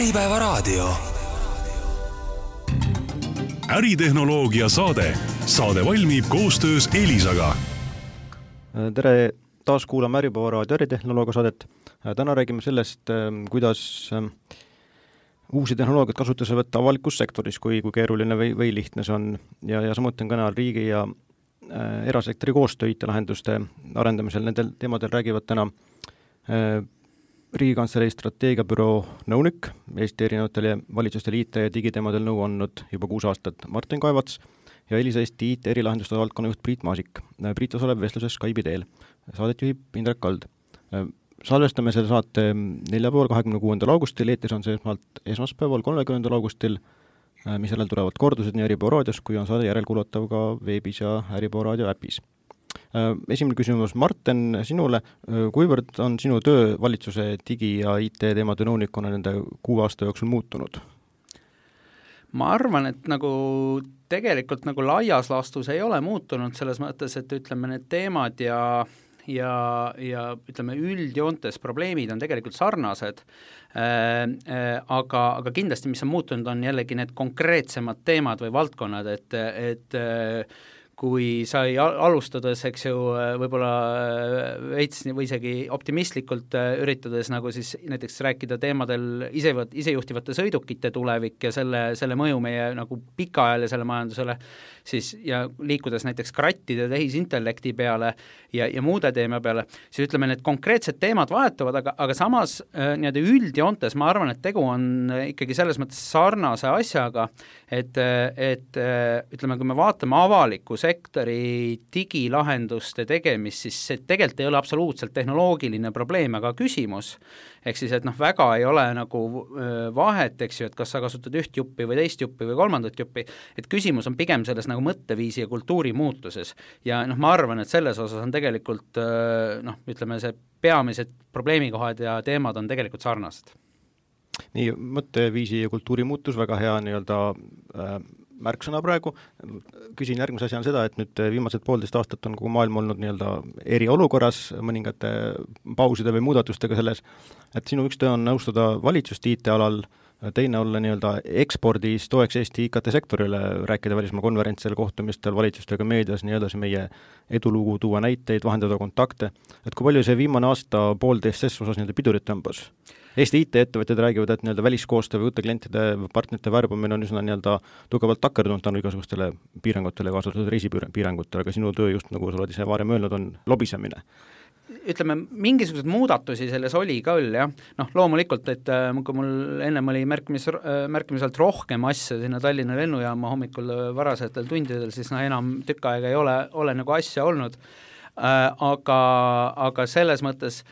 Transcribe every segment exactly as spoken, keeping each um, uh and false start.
Äripäevaraadio. Äritehnoloogia saade. Saade valmib koostöös Elisaga. Tere, taas kuulame Äripäevaraadio äritehnoloogia saadet. Täna räägime sellest, kuidas uusi tehnoloogiat kasutuse võtta avalikus sektoris, kui, kui keeruline või, või lihtne see on. Ja, ja samuti on kõnal riigi ja äh, erasektori koostöö I T-lahenduste arendamisel. Nendel teemadel räägivad täna äh, Riigikantselei strateegiabüroo nõunik, Eesti erinevatele valitsustele I T ja digiteemadel nõu andnud juba kuus aastat Martin Kaevats ja Elisa Eesti I T erilahenduste valdkonna juht Priit Maasik. Priit osaleb vestluses Skype'i teel. Saadet juhib Indrek Kald. Salvestame selle saate neljapäeval kahekümne kuuendal augustil, eetis on see esmalt esmaspäeval kolmekümnendal augustil, mis järel tulevad kordused nii Äripäevaraadios, kui on saade järelkuulatav ka veebis ja Äripäevaraadio äpis. Esimene küsimus, Martin, sinule, kuivõrd on sinu töö valitsuse digi- ja I T teemade nõunikuna nende kuu aasta jooksul muutunud? Ma arvan, et nagu tegelikult nagu laias laastus ei ole muutunud selles mõttes, et ütleme need teemad ja ja, ja ütleme üldjoontes probleemid on tegelikult sarnased, äh, äh, aga, aga kindlasti, mis on muutunud, on jällegi need konkreetsemad teemad või valdkonnad, et, et äh, kui sai alustades, eks ju, võib-olla veits või isegi optimistlikult üritades nagu siis näiteks rääkida teemadel ise, isejuhtivate sõidukite tulevik ja selle, selle mõju meie nagu pikaajalisele majandusele, siis ja liikudes näiteks krattide tehisintellekti peale ja, ja muude teema peale, siis ütleme, need konkreetsed teemad vahetuvad, aga, aga samas nii-öelda üldjoontes ma arvan, et tegu on ikkagi selles mõttes sarnase asjaga, et, et ütleme, kui me vaatame avaliku sektori digilahenduste tegemist, siis see tegelikult ei ole absoluutselt tehnoloogiline probleem, aga küsimus, ehk siis, et noh, väga ei ole nagu vahet, eks ju, et kas sa kasutad üht juppi või teist juppi või kolmandat juppi, et küsimus on pigem selles nagu mõtteviisi ja kultuuri muutuses ja noh, ma arvan, et selles osas on tegelikult noh, ütleme see peamised probleemikohad ja teemad on tegelikult sarnased. Nii, mõtteviisi ja kultuuri muutus, väga hea nii-öelda äh, märksõna praegu. Küsin järgmise asja on seda, et nüüd viimased poolteist aastat on kogu maailm olnud nii-öelda eriolukorras mõningate pauside või muudatustega selles, et sinu üks töö on nõustada valitsust I T-alal, teine olla nii-öelda ekspordis toeks Eesti I K T-sektorile, rääkida välismaa konverentsel, kohtumistel, valitsustega meedias, nii edasi meie edulugu, tuua näiteid, vahendada kontakte. Et kui palju see viimane aasta poolteist ses osas nii-öelda pidurit tõmbas? Eesti I T-ettevõtjad räägivad, et nii-öelda väliskoostöö või uute klientide partnerite värbamine on üsna nii-öelda tugevalt takerdunud tänu igasugustele piirangutele, kaasatud reisipiirangutele, aga sinu töö just nagu sa oled ise varem öelnud, on lobisemine. Ütleme, mingisugused muudatusi selles oli ka küll, jah. Noh, loomulikult, et kui mul ennem oli märkimis, märkimiselt rohkem asja sinna Tallinna lennujaama hommikul varasetel tundidel, siis no enam tükk aega ei ole, ole nagu asja olnud. Aga, aga selles mõttes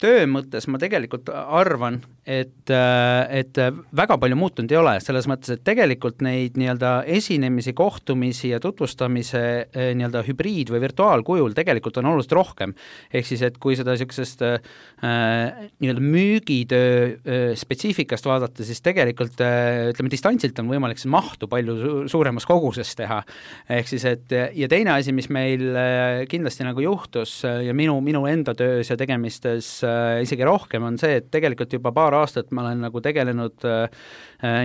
töö mõttes ma tegelikult arvan, et, et väga palju muutunud ei ole, selles mõttes, et tegelikult neid nii-öelda esinemisi, kohtumisi ja tutvustamise nii-öelda hübriid- või virtuaalkujul tegelikult on oluliselt rohkem. Ehk siis, et kui seda niisugusest äh, nii-öelda müügitöö spetsiifikast vaadata, siis tegelikult äh, ütleme, distantsilt on võimalik see mahtu palju su- suuremas koguses teha. Ehk siis, et ja teine asi, mis meil kindlasti nagu juhtus ja minu, minu enda töös ja tegemistes isegi rohkem on see, et tegelikult juba paar aastat ma olen nagu tegelenud äh,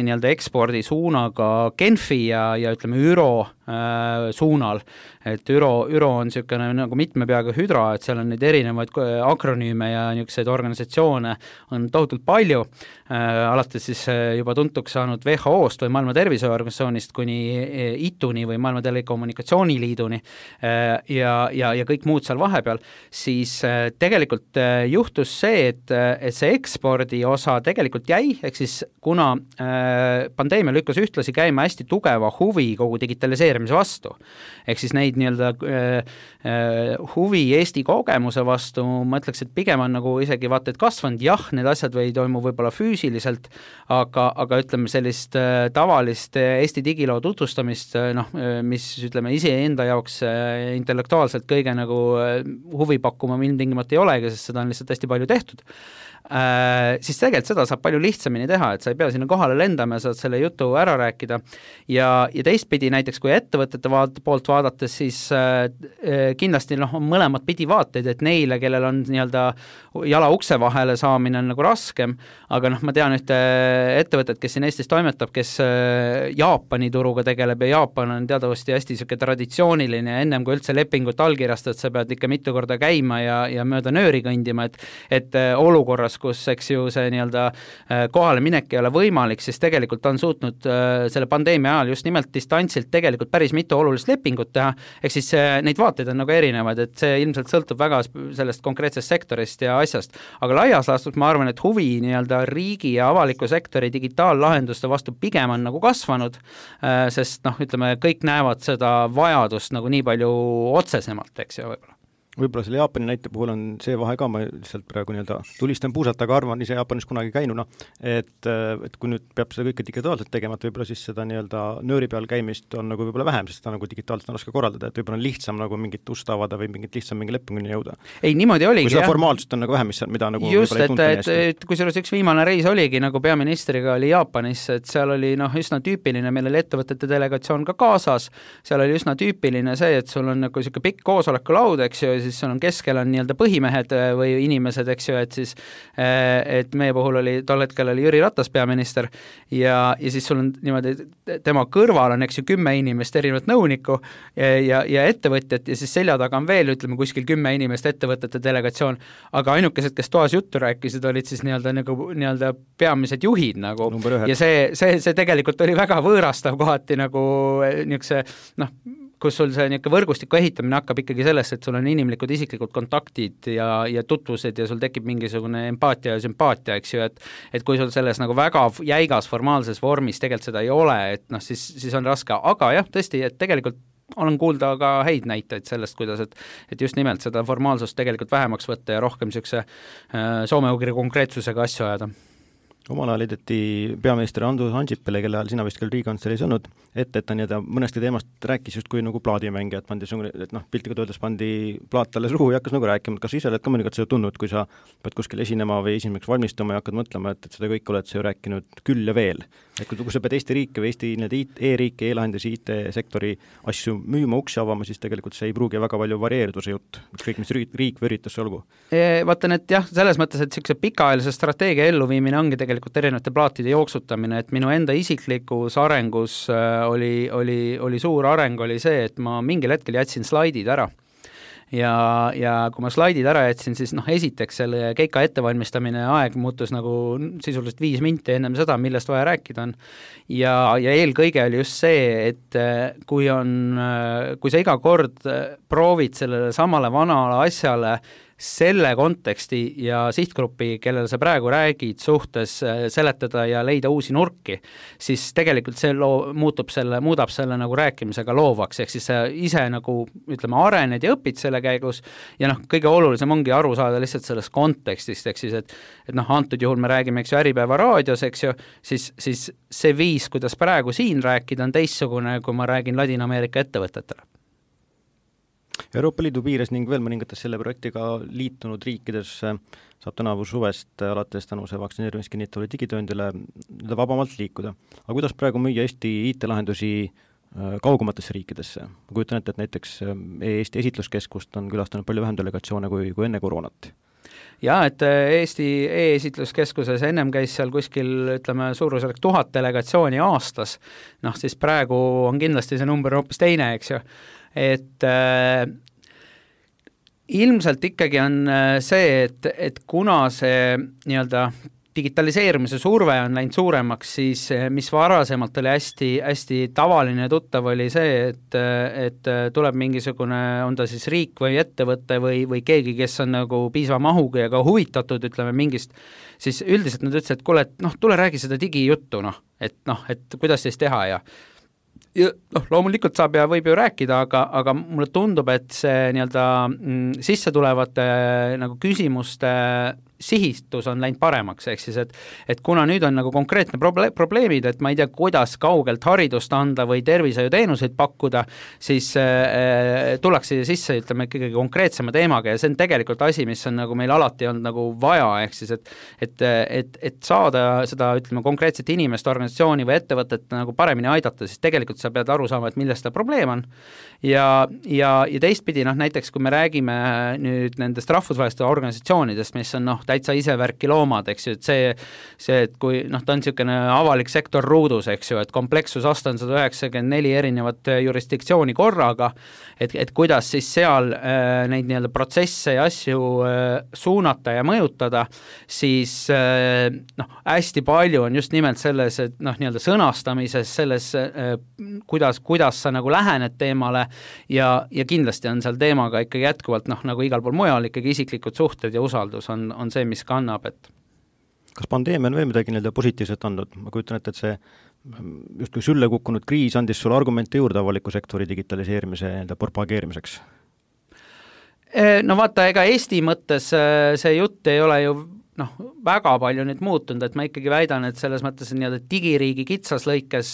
nii-öelda ekspordi suunaga Genfi ja, ja ütleme Üro äh, suunal, et Üro, Üro on niisugune nagu mitme peaga hüdra, et seal on neid erinevaid akronüüme ja niisuguseid organisatsioone on tohutult palju, äh, alates siis juba tuntuks saanud W H O-st või Maailma Terviseorganisatsioonist kuni I T U-ni või Maailma Telekommunikatsiooniliiduni äh, ja, ja, ja kõik muud seal vahepeal, siis äh, tegelikult äh, juhtus see, et, et see ekspordi osa tegelikult jäi, ehk siis kuna äh, pandeemia lükkas ühtlasi käima hästi tugeva huvi kogu digitaliseerimise vastu, ehk siis neid nii-öelda äh, äh, huvi Eesti kogemuse vastu, ma ütleks, et pigem on nagu isegi vaata, et kasvanud, jah, need asjad või toimu võib-olla füüsiliselt, aga, aga ütleme sellist äh, tavalist Eesti digiloo tutvustamist, äh, noh, mis ütleme ise enda jaoks äh, intellektuaalselt kõige nagu äh, huvi pakkuma ilmtingimata ei olegi, sest seda on lihtsalt hästi palju tehtud, äh, siis tegelikult seda saab palju lihtsamini teha, et sa ei pea sinna kohale lendama ja saad selle jutu ära rääkida ja, ja teistpidi näiteks, kui ettevõtete vaat, poolt vaadates, siis äh, kindlasti noh, on mõlemad pidi vaateid, et neile, kellel on nii-öelda jala ukse vahele saamine on nagu raskem, aga noh, ma tean ühte ettevõtet, kes siin Eestis toimetab, kes äh, Jaapani turuga tegeleb ja Jaapan on teadavasti hästi siuke traditsiooniline ja ennem kui üldse lepingut allkirjastad, sa pead ikka mitu korda käima ja, ja mööda nööri kõndima, et, et olukorras, kus eks ju see nii-öelda kohale minek ei ole võimalik, siis tegelikult on suutnud selle pandeemia ajal just nimelt distantsilt tegelikult päris mitu olulist lepingut teha, ehk siis neid vaateid on nagu erinevad, et see ilmselt sõltub väga sellest konkreetsest sektorist ja asjast, aga laias laastus ma arvan, et huvi nii-öelda riigi ja avaliku sektori digitaallahenduste vastu pigem on nagu kasvanud, sest noh, ütleme, kõik näevad seda vajadust nagu nii palju otsesemalt, eks ju, võib-olla. Võib-olla selle Jaapani näite puhul on see vahe ka, ma lihtsalt praegu nii-öelda tulistan puusalt, aga arvan ise Jaapanis kunagi käinuna, et, et kui nüüd peab seda kõike digitaalselt tegema, et võib-olla siis seda nii-öelda nööri peal käimist on nagu võib-olla vähem, sest seda nagu digitaalselt on raske korraldada, et võib-olla on lihtsam nagu mingit ust avada või mingit lihtsam mingi lepinguni jõuda. Ei, niimoodi oligi, kui seda formaalsust on nagu vähem, mis, mida nagu just, et, et, et kui selles üks viimane reis oligi, nagu peaministriga oli Jaapanis, et seal oli noh, üsna tüüpiline, meil oli ettevõtete delegatsioon ka kaasas, seal oli üsna tüüpiline see, et sul on nagu siuke pikk koosolekulaud, eks ju, siis on keskel on nii-öelda põhimehed või inimesed, eks ju, et siis et meie puhul oli, tol hetkel oli Jüri Ratas peaminister ja, ja siis sul on niimoodi, tema kõrval on, eks ju, kümme inimest erinevat nõunikku ja, ja, ja ettevõtjat ja siis selja taga on veel, ütleme, kuskil kümme inimest ettevõtete delegatsioon, aga ainukesed, kes toas juttu rääkisid, olid siis nii-öelda nagu nii-öelda peamised juhid nagu ja see, see, see tegelikult oli väga võõrastav kohati nagu niisuguse, noh, kus sul see niisugune võrgustiku ehitamine hakkab ikkagi sellest, et sul on inimlikud isiklikud kontaktid ja, ja tutvused ja sul tekib mingisugune empaatia ja sümpaatia, eks ju, et et kui sul selles nagu väga jäigas formaalses vormis tegelikult seda ei ole, et noh, siis, siis on raske, aga jah, tõesti, et tegelikult olen kuulda ka häid näiteid sellest, kuidas, et, et just nimelt seda formaalsust tegelikult vähemaks võtta ja rohkem niisuguse äh, soome-ugri konkreetsusega asju ajada. Omal ajal edeti peaminister Andrus Ansipile, kelle ajal sina vist küll Riigikantseleis olnud, et, et ta nii-öelda mõnesti teemast rääkis just kui nagu plaadimängija, et pandi, et noh, piltlikult öeldes pandi plaat talle suhu ja hakkas nagu rääkima, et kas ise oled ka mõnikord seda tundnud, kui sa pead kuskil esinema või esimeseks valmistuma ja hakkad mõtlema, et, et seda kõik oled sa ju rääkinud küll ja veel. Et kui, kui sa pead Eesti riike või Eesti e-riike, e-lahendusi, I T-sektori asju müüma, uksi avama, siis tegelikult see ei pruugi väga palju varieeruda see jutt, ükskõik mis riik, riik või üritus olgu. Vaatan, et jah, selles mõttes, et niisuguse pikaajalise strateegia elluviimine ongi tegelikult erinevate plaatide jooksutamine, et minu enda isiklikus arengus oli, oli, oli suur areng, oli see, et ma mingil hetkel jätsin slaidid ära. Ja, ja kui ma slaidid ära jätsin, siis noh, esiteks selle keika ettevalmistamine aeg muutus nagu sisuliselt viis minti ennem seda, millest vaja rääkida on. Ja, ja eelkõige oli just see, et kui on, kui sa iga kord proovid sellele samale vanale asjale selle konteksti ja sihtgrupi, kellele sa praegu räägid suhtes seletada ja leida uusi nurki, siis tegelikult see loo, muutub selle, muudab selle nagu rääkimisega loovaks, ehk siis sa ise nagu, ütleme, arened ja õpid selle käigus ja noh, kõige olulisem ongi aru saada lihtsalt sellest kontekstist, ehk siis, et, et noh, antud juhul me räägime, eks ju, Äripäeva raadios, eks ju, siis, siis see viis, kuidas praegu siin rääkida, on teissugune, kui ma räägin Ladina-Ameerika ettevõtetele. Euroopa Liidu piires ning veel mõningates selle projektiga liitunud riikides saab tänavu suvest alates tänu see vaktsineerimist kinnitavale digitööndile vabamalt liikuda. Aga kuidas praegu müüa Eesti I T-lahendusi kaugumatesse riikidesse? Ma kujutan ette, et näiteks Eesti esitluskeskust on külastanud palju vähem delegatsioone kui, kui enne koroonat. Ja, et Eesti e-esitluskeskuses ennem käis seal kuskil, ütleme, suurusjärk tuhat delegatsiooni aastas, noh siis praegu on kindlasti see number hoopis teine, eks ju. Et äh, ilmselt ikkagi on see, et, et kuna see nii-öelda digitaliseerimise surve on läinud suuremaks, siis mis varasemalt oli hästi, hästi tavaline tuttav oli see, et, et tuleb mingisugune, on ta siis riik või ettevõte või, või keegi, kes on nagu piisava mahuga ja ka huvitatud, ütleme mingist, siis üldiselt nad ütlesid, et kuule, et noh, tule räägi seda digijuttu, noh, et noh, et kuidas siis teha ja ja noh, loomulikult saab ja võib ju rääkida, aga, aga mulle tundub, et see nii-öelda mm, sisse tulevate nagu küsimuste sihitus on läinud paremaks, ehk siis, et, et kuna nüüd on nagu konkreetne proble- probleemid, et ma ei tea, kuidas kaugelt haridust anda või tervishoiuteenuseid pakkuda, siis äh, tullakse sisse, ütleme, ikkagi konkreetsema teemaga ja see on tegelikult asi, mis on nagu meil alati olnud nagu vaja, ehk siis, et, et, et, et saada seda, ütleme, konkreetset inimest, organisatsiooni või ettevõtet nagu paremini aidata, siis tegelikult sa pead aru saama, et milles seda probleem on. Ja, ja, ja teistpidi, noh, näiteks kui me räägime nüüd nendest rahvusvaheliste organisatsioonidest, mis on noh, täitsa ise värki loomad, eks ju, et see, see, et kui noh, ta on niisugune avalik sektor ruudus, eks ju, et komplekssusaste on sada üheksakümmend neli erinevat jurisdiktsiooni korraga, et, et kuidas siis seal äh, neid nii-öelda protsesse ja asju äh, suunata ja mõjutada, siis äh, noh, hästi palju on just nimelt selles, et noh, nii-öelda sõnastamises, selles äh, kuidas, kuidas sa nagu lähened teemale ja, ja kindlasti on seal teemaga ikkagi jätkuvalt noh, nagu igal pool mujal ikkagi isiklikud suhted ja usaldus on, on see, mis kannab, et kas pandeemia on veel midagi nii-öelda positiivset andnud? Ma kujutan ette, et see justkui sülle kukkunud kriis andis sulle argumente juurde avaliku sektori digitaliseerimise nii-öelda propageerimiseks? No vaata, ega Eesti mõttes see jutt ei ole ju noh, väga palju nüüd muutunud, et ma ikkagi väidan, et selles mõttes nii-öelda digiriigi kitsas lõikes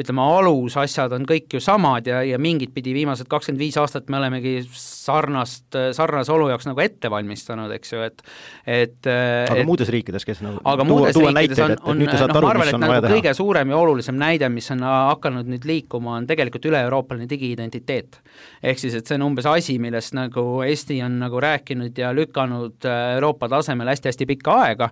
ütleme, alus asjad on kõik ju samad ja, ja mingid pidi viimased kakskümmend viis aastat me olemegi sarnast, sarnase olu jaoks nagu ette valmistanud, eks ju, et, et aga et, muudes riikides, kes nagu aga tuua, muudes tuua riikides näiteid, on, on noh, ma arvan, et nagu kõige suurem ja olulisem näide, mis on hakanud nüüd liikuma, on tegelikult üle-euroopaline digi-identiteet. Ehk siis, et see on umbes asi, millest nagu Eesti on nagu rääkinud ja lükanud Euroopa tasemel hästi hästi pikka aega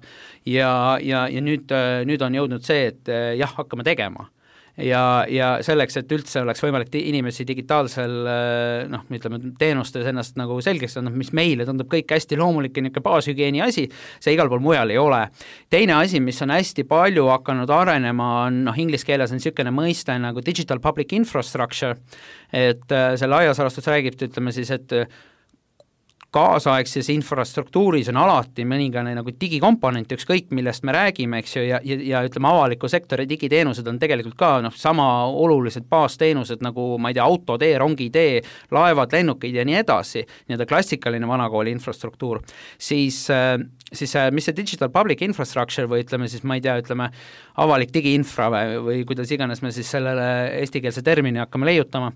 ja, ja, ja nüüd, nüüd on jõudnud see, et jah, hakkame tegema. Ja, ja selleks, et üldse oleks võimalik inimesi digitaalsel noh, ütleme, teenustes ennast nagu selgeks on, mis meile tundub kõik hästi loomulik ja niisugune baashügieeni asi, see igal pool mujal ei ole. Teine asi, mis on hästi palju hakanud arenema, on noh, inglise keeles on niisugune mõiste nagu digital public infrastructure, et selle aiasarastus räägib, ütleme siis, et kaasaegses infrastruktuuris on alati mõningane nagu digikomponent, ükskõik millest me räägime, eks ju, ja, ja, ja ütleme, avaliku sektori digiteenused on tegelikult ka noh, sama olulised baasteenused nagu, ma ei tea, autotee, rongitee, laevad, lennukid ja nii edasi, nii-öelda klassikaline vanakooli infrastruktuur, siis, siis mis see digital public infrastructure või ütleme siis, ma ei tea, ütleme, avalik digiinfra või, või kuidas iganes me siis sellele eestikeelse termini hakkame leiutama,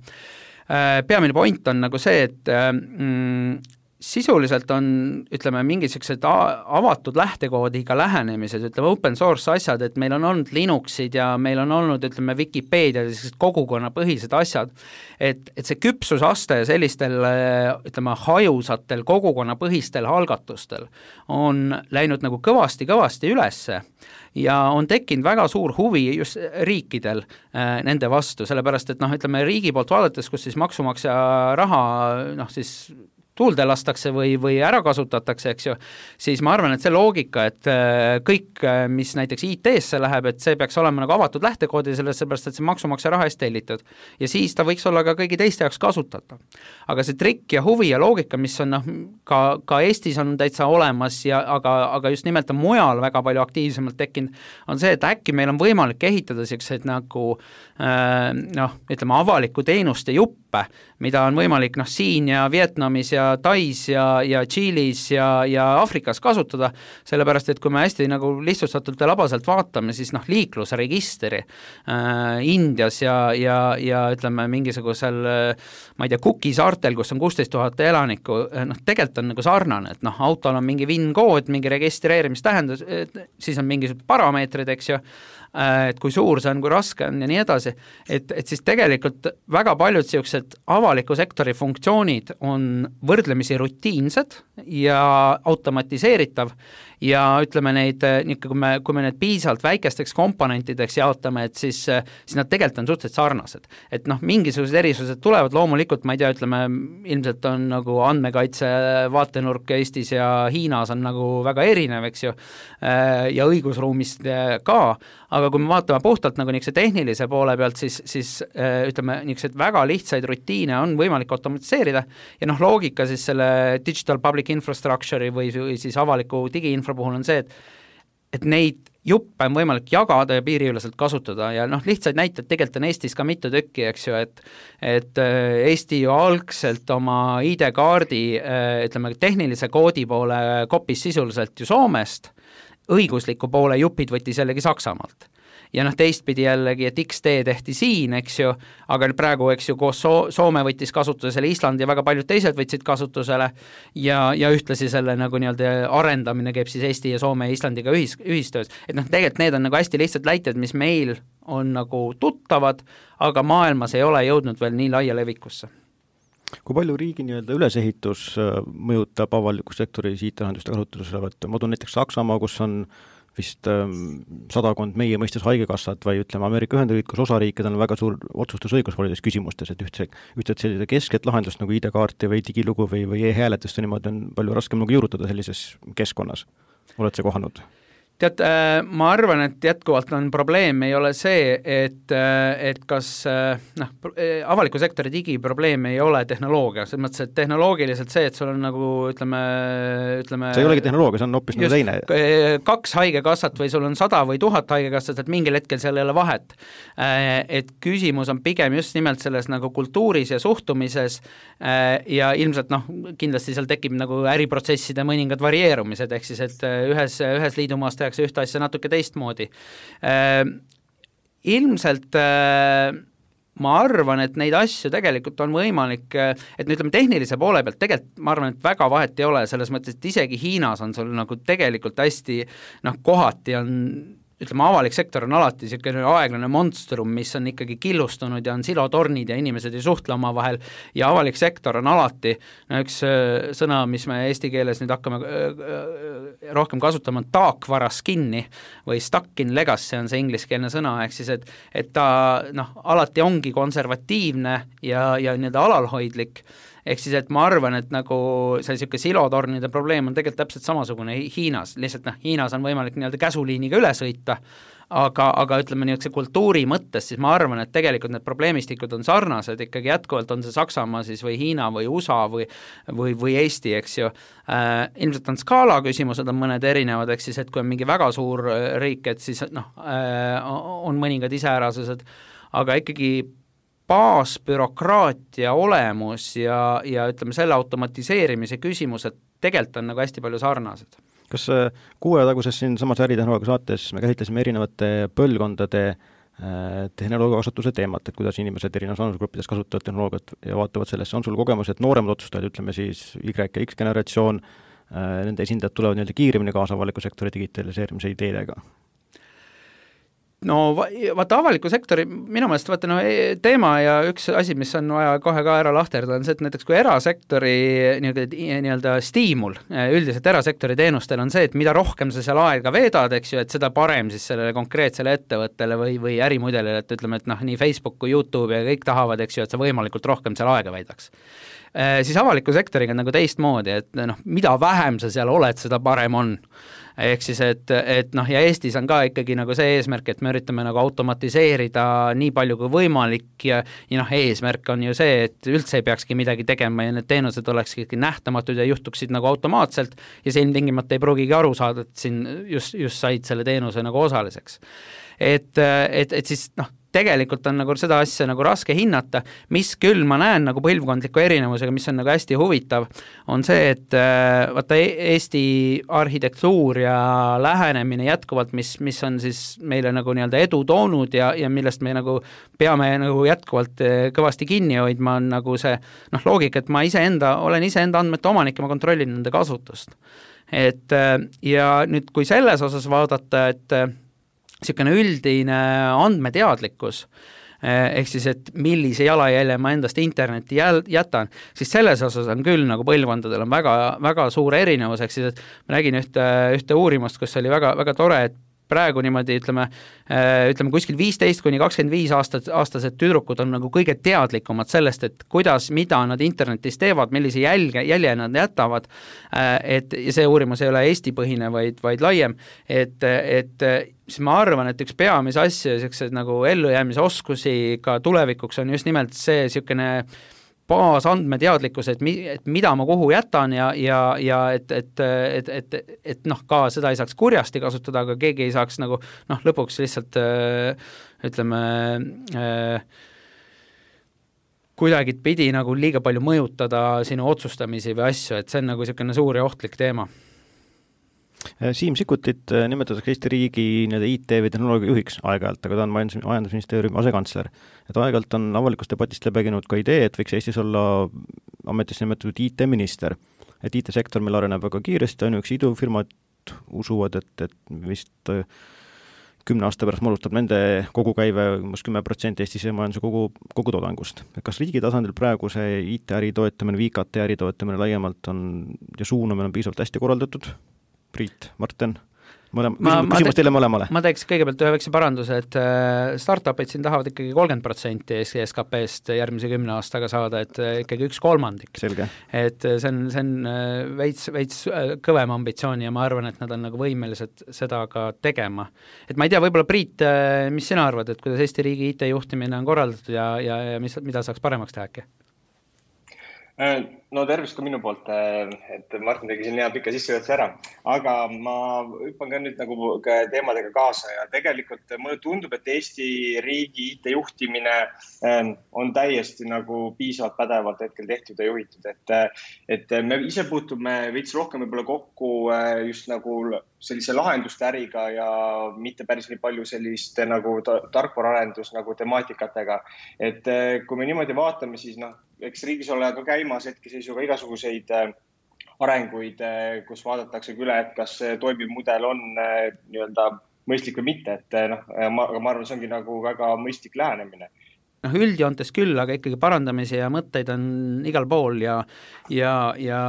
peamine point on nagu see, et mm, sisuliselt on, ütleme, mingisugused avatud lähtekoodiga lähenemised, ütleme, open source asjad, et meil on olnud Linuxid ja meil on olnud, ütleme, Wikipedia, kogukonnapõhised asjad, et, et see küpsusaste sellistel, ütleme, hajusatel kogukonnapõhistel algatustel on läinud nagu kõvasti-kõvasti ülesse ja on tekkinud väga suur huvi just riikidel äh, nende vastu, sellepärast et noh, ütleme, riigi poolt vaadates, kus siis maksumaksja raha, noh siis tuulde lastakse või, või ära kasutatakse, eks ju, siis ma arvan, et see loogika, et kõik, mis näiteks I T-sse läheb, et see peaks olema nagu avatud lähtekoodi, sellepärast, et see maksumaksja raha eest tellitud. Ja siis ta võiks olla ka kõigi teiste jaoks kasutatav. Aga see trikk ja huvi ja loogika, mis on noh, ka, ka Eestis on täitsa olemas, ja, aga, aga just nimelt on mujal väga palju aktiivsemalt tekkinud, on see, et äkki meil on võimalik ehitada selliseid nagu äh, noh, ütleme, avaliku teenuste juppe, mida on võimalik noh, siin ja Vietnamis ja Tais ja, ja Tšiilis ja, ja Afrikas kasutada, sellepärast, et kui me hästi nagu lihtsustatult ja labaselt vaatame, siis noh, liiklusregistri äh, Indias ja, ja, ja ütleme mingisugusel, ma ei tea, Cooki saartel, kus on kuusteist tuhat elanikku, noh, tegelikult on nagu sarnane, et noh, autol on mingi V I N-kood, mingi registreerimistähendus, siis on mingisugused parameetrid, eks ju, et kui suur see on, kui raske on ja nii edasi, et, et siis tegelikult väga paljud sellised avaliku sektori funktsioonid on võrdlemisi rutiinsed ja automatiseeritav ja ütleme neid, kui me, kui me need piisavalt väikesteks komponentideks jaotame, et siis, siis nad tegelikult on suhteliselt sarnased. Et noh, mingisugused erisused tulevad, loomulikult ma ei tea, ütleme, ilmselt on nagu andmekaitse vaatenurk Eestis ja Hiinas on nagu väga erinev, eks ju, ja õigusruumist ka, aga kui me vaatame puhtalt nagu niisuguse tehnilise poole pealt, siis, siis ütleme, niisugused väga lihtsaid rutiine on võimalik automatiseerida ja noh, loogika siis selle digital public infrastructure'i või, või siis avaliku digiinfra puhul on see, et, et neid juppe on võimalik jagada ja piiriüleselt kasutada ja noh, lihtsaid näiteid tegelikult on Eestis ka mitu tükki, eks ju, et et Eesti ju algselt oma I D-kaardi, ütleme, tehnilise koodi poole kopis sisuliselt ju Soomest, õigusliku poole jupid võttis jällegi Saksamaalt. Ja noh, teistpidi jällegi, et X T tehti siin, eks ju, aga praegu, eks ju, koos so- Soome võttis kasutusele Island ja väga paljud teised võtsid kasutusele ja, ja ühtlasi selle nagu nii-öelda arendamine käib siis Eesti ja Soome ja Islandiga ühis, ühistöös. Et noh, tegelikult need on nagu hästi lihtsalt näited, mis meil on nagu tuttavad, aga maailmas ei ole jõudnud veel nii laia levikusse. Kui palju riigi nii-öelda ülesehitus mõjutab avaliku sektori I T-lahenduste kasutusele võtta? Ma tunnen näiteks Saksamaa, kus on vist ähm, sadakond meie mõistes haigekassat või ütleme Ameerika Ühendriigid, kus osariikidel on väga suur otsustusõigus paljudes küsimustes, et ühtse, ühtset sellise kesket lahendust nagu I D-kaarti või digilugu või, või e-hääletust niimoodi on palju raskem nagu juurutada sellises keskkonnas. Oled see kohanud? Tead, ma arvan, et jätkuvalt on probleem, ei ole see, et, et kas noh, avaliku sektori digiprobleem ei ole tehnoloogia, selles mõttes, et tehnoloogiliselt see, et sul on nagu ütleme, ütleme see ei olegi tehnoloogia, see on hoopis nagu teine. Kaks haigekassat või sul on sada või tuhat haigekassat, et mingil hetkel seal ei ole vahet. Et küsimus on pigem just nimelt selles nagu kultuuris ja suhtumises ja ilmselt noh, kindlasti seal tekib nagu äriprotsesside mõningad varieerumised, ehk siis, et ühes, ühes liidumaast ühte asja natuke teistmoodi. Äh, ilmselt äh, ma arvan, et neid asju tegelikult on võimalik, et no ütleme tehnilise poole pealt tegelikult ma arvan, et väga vahet ei ole, selles mõttes, et isegi Hiinas on sul nagu tegelikult hästi noh, kohati on ütleme, avalik sektor on alati niisugune aeglane monstrum, mis on ikkagi killustunud ja on silotornid ja inimesed ei suhtle oma vahel ja avalik sektor on alati, no üks sõna, mis me eesti keeles nüüd hakkame rohkem kasutama, on taakvaras kinni või stuck in legacy on see ingliskeelne sõna, ehk siis, et, et ta noh, alati ongi konservatiivne ja, ja nii-öelda alalhoidlik, ehk siis, et ma arvan, et nagu see niisugune silotornide probleem on tegelikult täpselt samasugune Hiinas, lihtsalt noh, Hiinas on võimalik nii-öelda käsuliiniga üle sõita, aga, aga ütleme niisuguse kultuuri mõttes, siis ma arvan, et tegelikult need probleemistikud on sarnased, ikkagi jätkuvalt on see Saksamaa siis või Hiina või U S A või, või, või Eesti, eks ju. Äh, ilmselt on skaala küsimused on mõned erinevad, eks siis, et kui on mingi väga suur riik, et siis noh, äh, on mõningad iseärasused, aga ikkagi baasbürokraatia olemus ja, ja ütleme selle automatiseerimise küsimused tegelikult on nagu hästi palju sarnased. Kas kuue taguses siin samas äritehnoloogia saates me käsitlesime erinevate põlvkondade tehnoloogia kasutuse teemat, et kuidas inimesed erinevas vanusegruppides kasutavad tehnoloogiat ja vaatavad sellesse, on sul kogemus, et nooremad otsustajad, ütleme siis Y ja X generatsioon, nende esindajad tulevad nii-öelda kiiremini kaasa avaliku sektori digitaliseerimise ideedega? No vaata avaliku sektori, minu meelest vaata no, teema ja üks asi, mis on vaja kohe ka ära lahterda, on see, et näiteks kui erasektori nii-öelda stiimul üldiselt erasektori teenustel on see, et mida rohkem sa seal aega veedad, eks ju, et seda parem siis sellele konkreetsele ettevõttele või, või ärimudelile, et ütleme, et noh, nii Facebook kui YouTube ja kõik tahavad, eks ju, et sa võimalikult rohkem seal aega veedaks. Siis avaliku sektoriga on nagu teistmoodi, et noh, mida vähem sa seal oled, seda parem on. Ehk siis, et, et noh, ja Eestis on ka ikkagi nagu see eesmärk, et me üritame nagu automatiseerida nii palju kui võimalik ja, ja noh, eesmärk on ju see, et üldse ei peakski midagi tegema ja need teenused olekski nähtamatud ja juhtuksid nagu automaatselt ja see ilmtingimata ei pruugigi aru saada, et siin just, just said selle teenuse nagu osaliseks. Et, et, et siis noh, tegelikult on nagu seda asja nagu raske hinnata, mis küll ma näen nagu põlvkondliku erinevusega, mis on nagu hästi huvitav, on see, et vaata Eesti arhitektuur ja lähenemine jätkuvalt, mis, mis on siis meile nagu nii-öelda edu toonud ja, ja millest me nagu peame nagu jätkuvalt kõvasti kinni hoidma, on nagu see noh, loogika, et ma iseenda, olen iseenda andmete omanik ja ma kontrollin nende kasutust. Et ja nüüd, kui selles osas vaadata, et niisugune üldine andmeteadlikkus, ehk siis, et millise jalajälje ma endast internetti jätan, siis selles osas on küll nagu põlvkondadel on väga, väga suur erinevus, ehk siis, et ma nägin ühte, ühte uurimust, kus oli väga, väga tore, et praegu niimoodi ütleme, ütleme kuskil viisteist kuni kakskümmend viis aastat, aastased tüdrukud on nagu kõige teadlikumad sellest, et kuidas, mida nad internetis teevad, millise jälge, jälje nad jätavad, et ja see uurimus ei ole Eesti-põhine, vaid, vaid laiem, et, et siis ma arvan, et üks peamise asju, sellised nagu ellujäämise oskusi ka tulevikuks on just nimelt see niisugune baasandmeteadlikkus, et, mi, et mida ma kuhu jätan ja, ja, ja et, et, et, et, et noh, ka seda ei saaks kurjasti kasutada, aga keegi ei saaks nagu noh, lõpuks lihtsalt ütleme äh, kuidagi pidi nagu liiga palju mõjutada sinu otsustamisi või asju, et see on nagu niisugune suur ja ohtlik teema. Siim Sikkutit nimetatakse Eesti riigi I T või tehnoloogia juhiks aeg-ajalt, aga ta on majandusministeeriumi asekantsler. Et aeg-ajalt on avalikust debatist läbeginud ka idee, et võiks Eestis olla ametisse nimetatud I T-minister. Et I T-sektor meil areneb väga kiiresti, ainuüksi idufirmad usuvad, et, et vist kümne aasta pärast moodustab nende kogukäive umbes kümme protsenti Eesti majanduse kogu, kogu toodangust. Kas riigi tasandil praegu see I T-äri toetamine või I K T-äri toetamine laiemalt on ja suunamine on piisavalt hästi korraldatud? Priit, Martin, mõlema, ma, küsimus te, teile mõlemale. Ma teeks kõigepealt ühe väikse paranduse, et startupid siin tahavad ikkagi kolmkümmend protsenti S K P-st järgmise kümne aastaga saada, et ikkagi üks kolmandik. Selge. Et see on, see on veits, veits kõvem ambitsioon ja ma arvan, et nad on nagu võimelised seda ka tegema. Et ma ei tea, võib-olla Priit, mis sina arvad, et kuidas Eesti riigi I T juhtimine on korraldatud ja, ja, ja mis, mida saaks paremaks teha äkki? No tervist ka minu poolt, et Martin tegi siin hea pika sissejuhatuse ära, aga ma hüppan ka nüüd nagu teemadega kaasa ja tegelikult mulle tundub, et Eesti riigi I T juhtimine on täiesti nagu piisavalt pädevalt hetkel tehtud ja juhitud, et, et me ise puutume veits rohkem võib-olla kokku just nagu sellise lahenduste äriga ja mitte päris nii palju sellist nagu tarkvararendus nagu temaatikatega, et kui me niimoodi vaatame, siis noh, eks riigis ole ka käimas hetkeseisuga igasuguseid arenguid, kus vaadatakse üle, et kas toimiv mudel on nii-öelda mõistlik või mitte, et noh, ma, ma arvan, see ongi nagu väga mõistlik lähenemine. Noh, üldjoontes küll, aga ikkagi parandamisi ja mõtteid on igal pool ja, ja, ja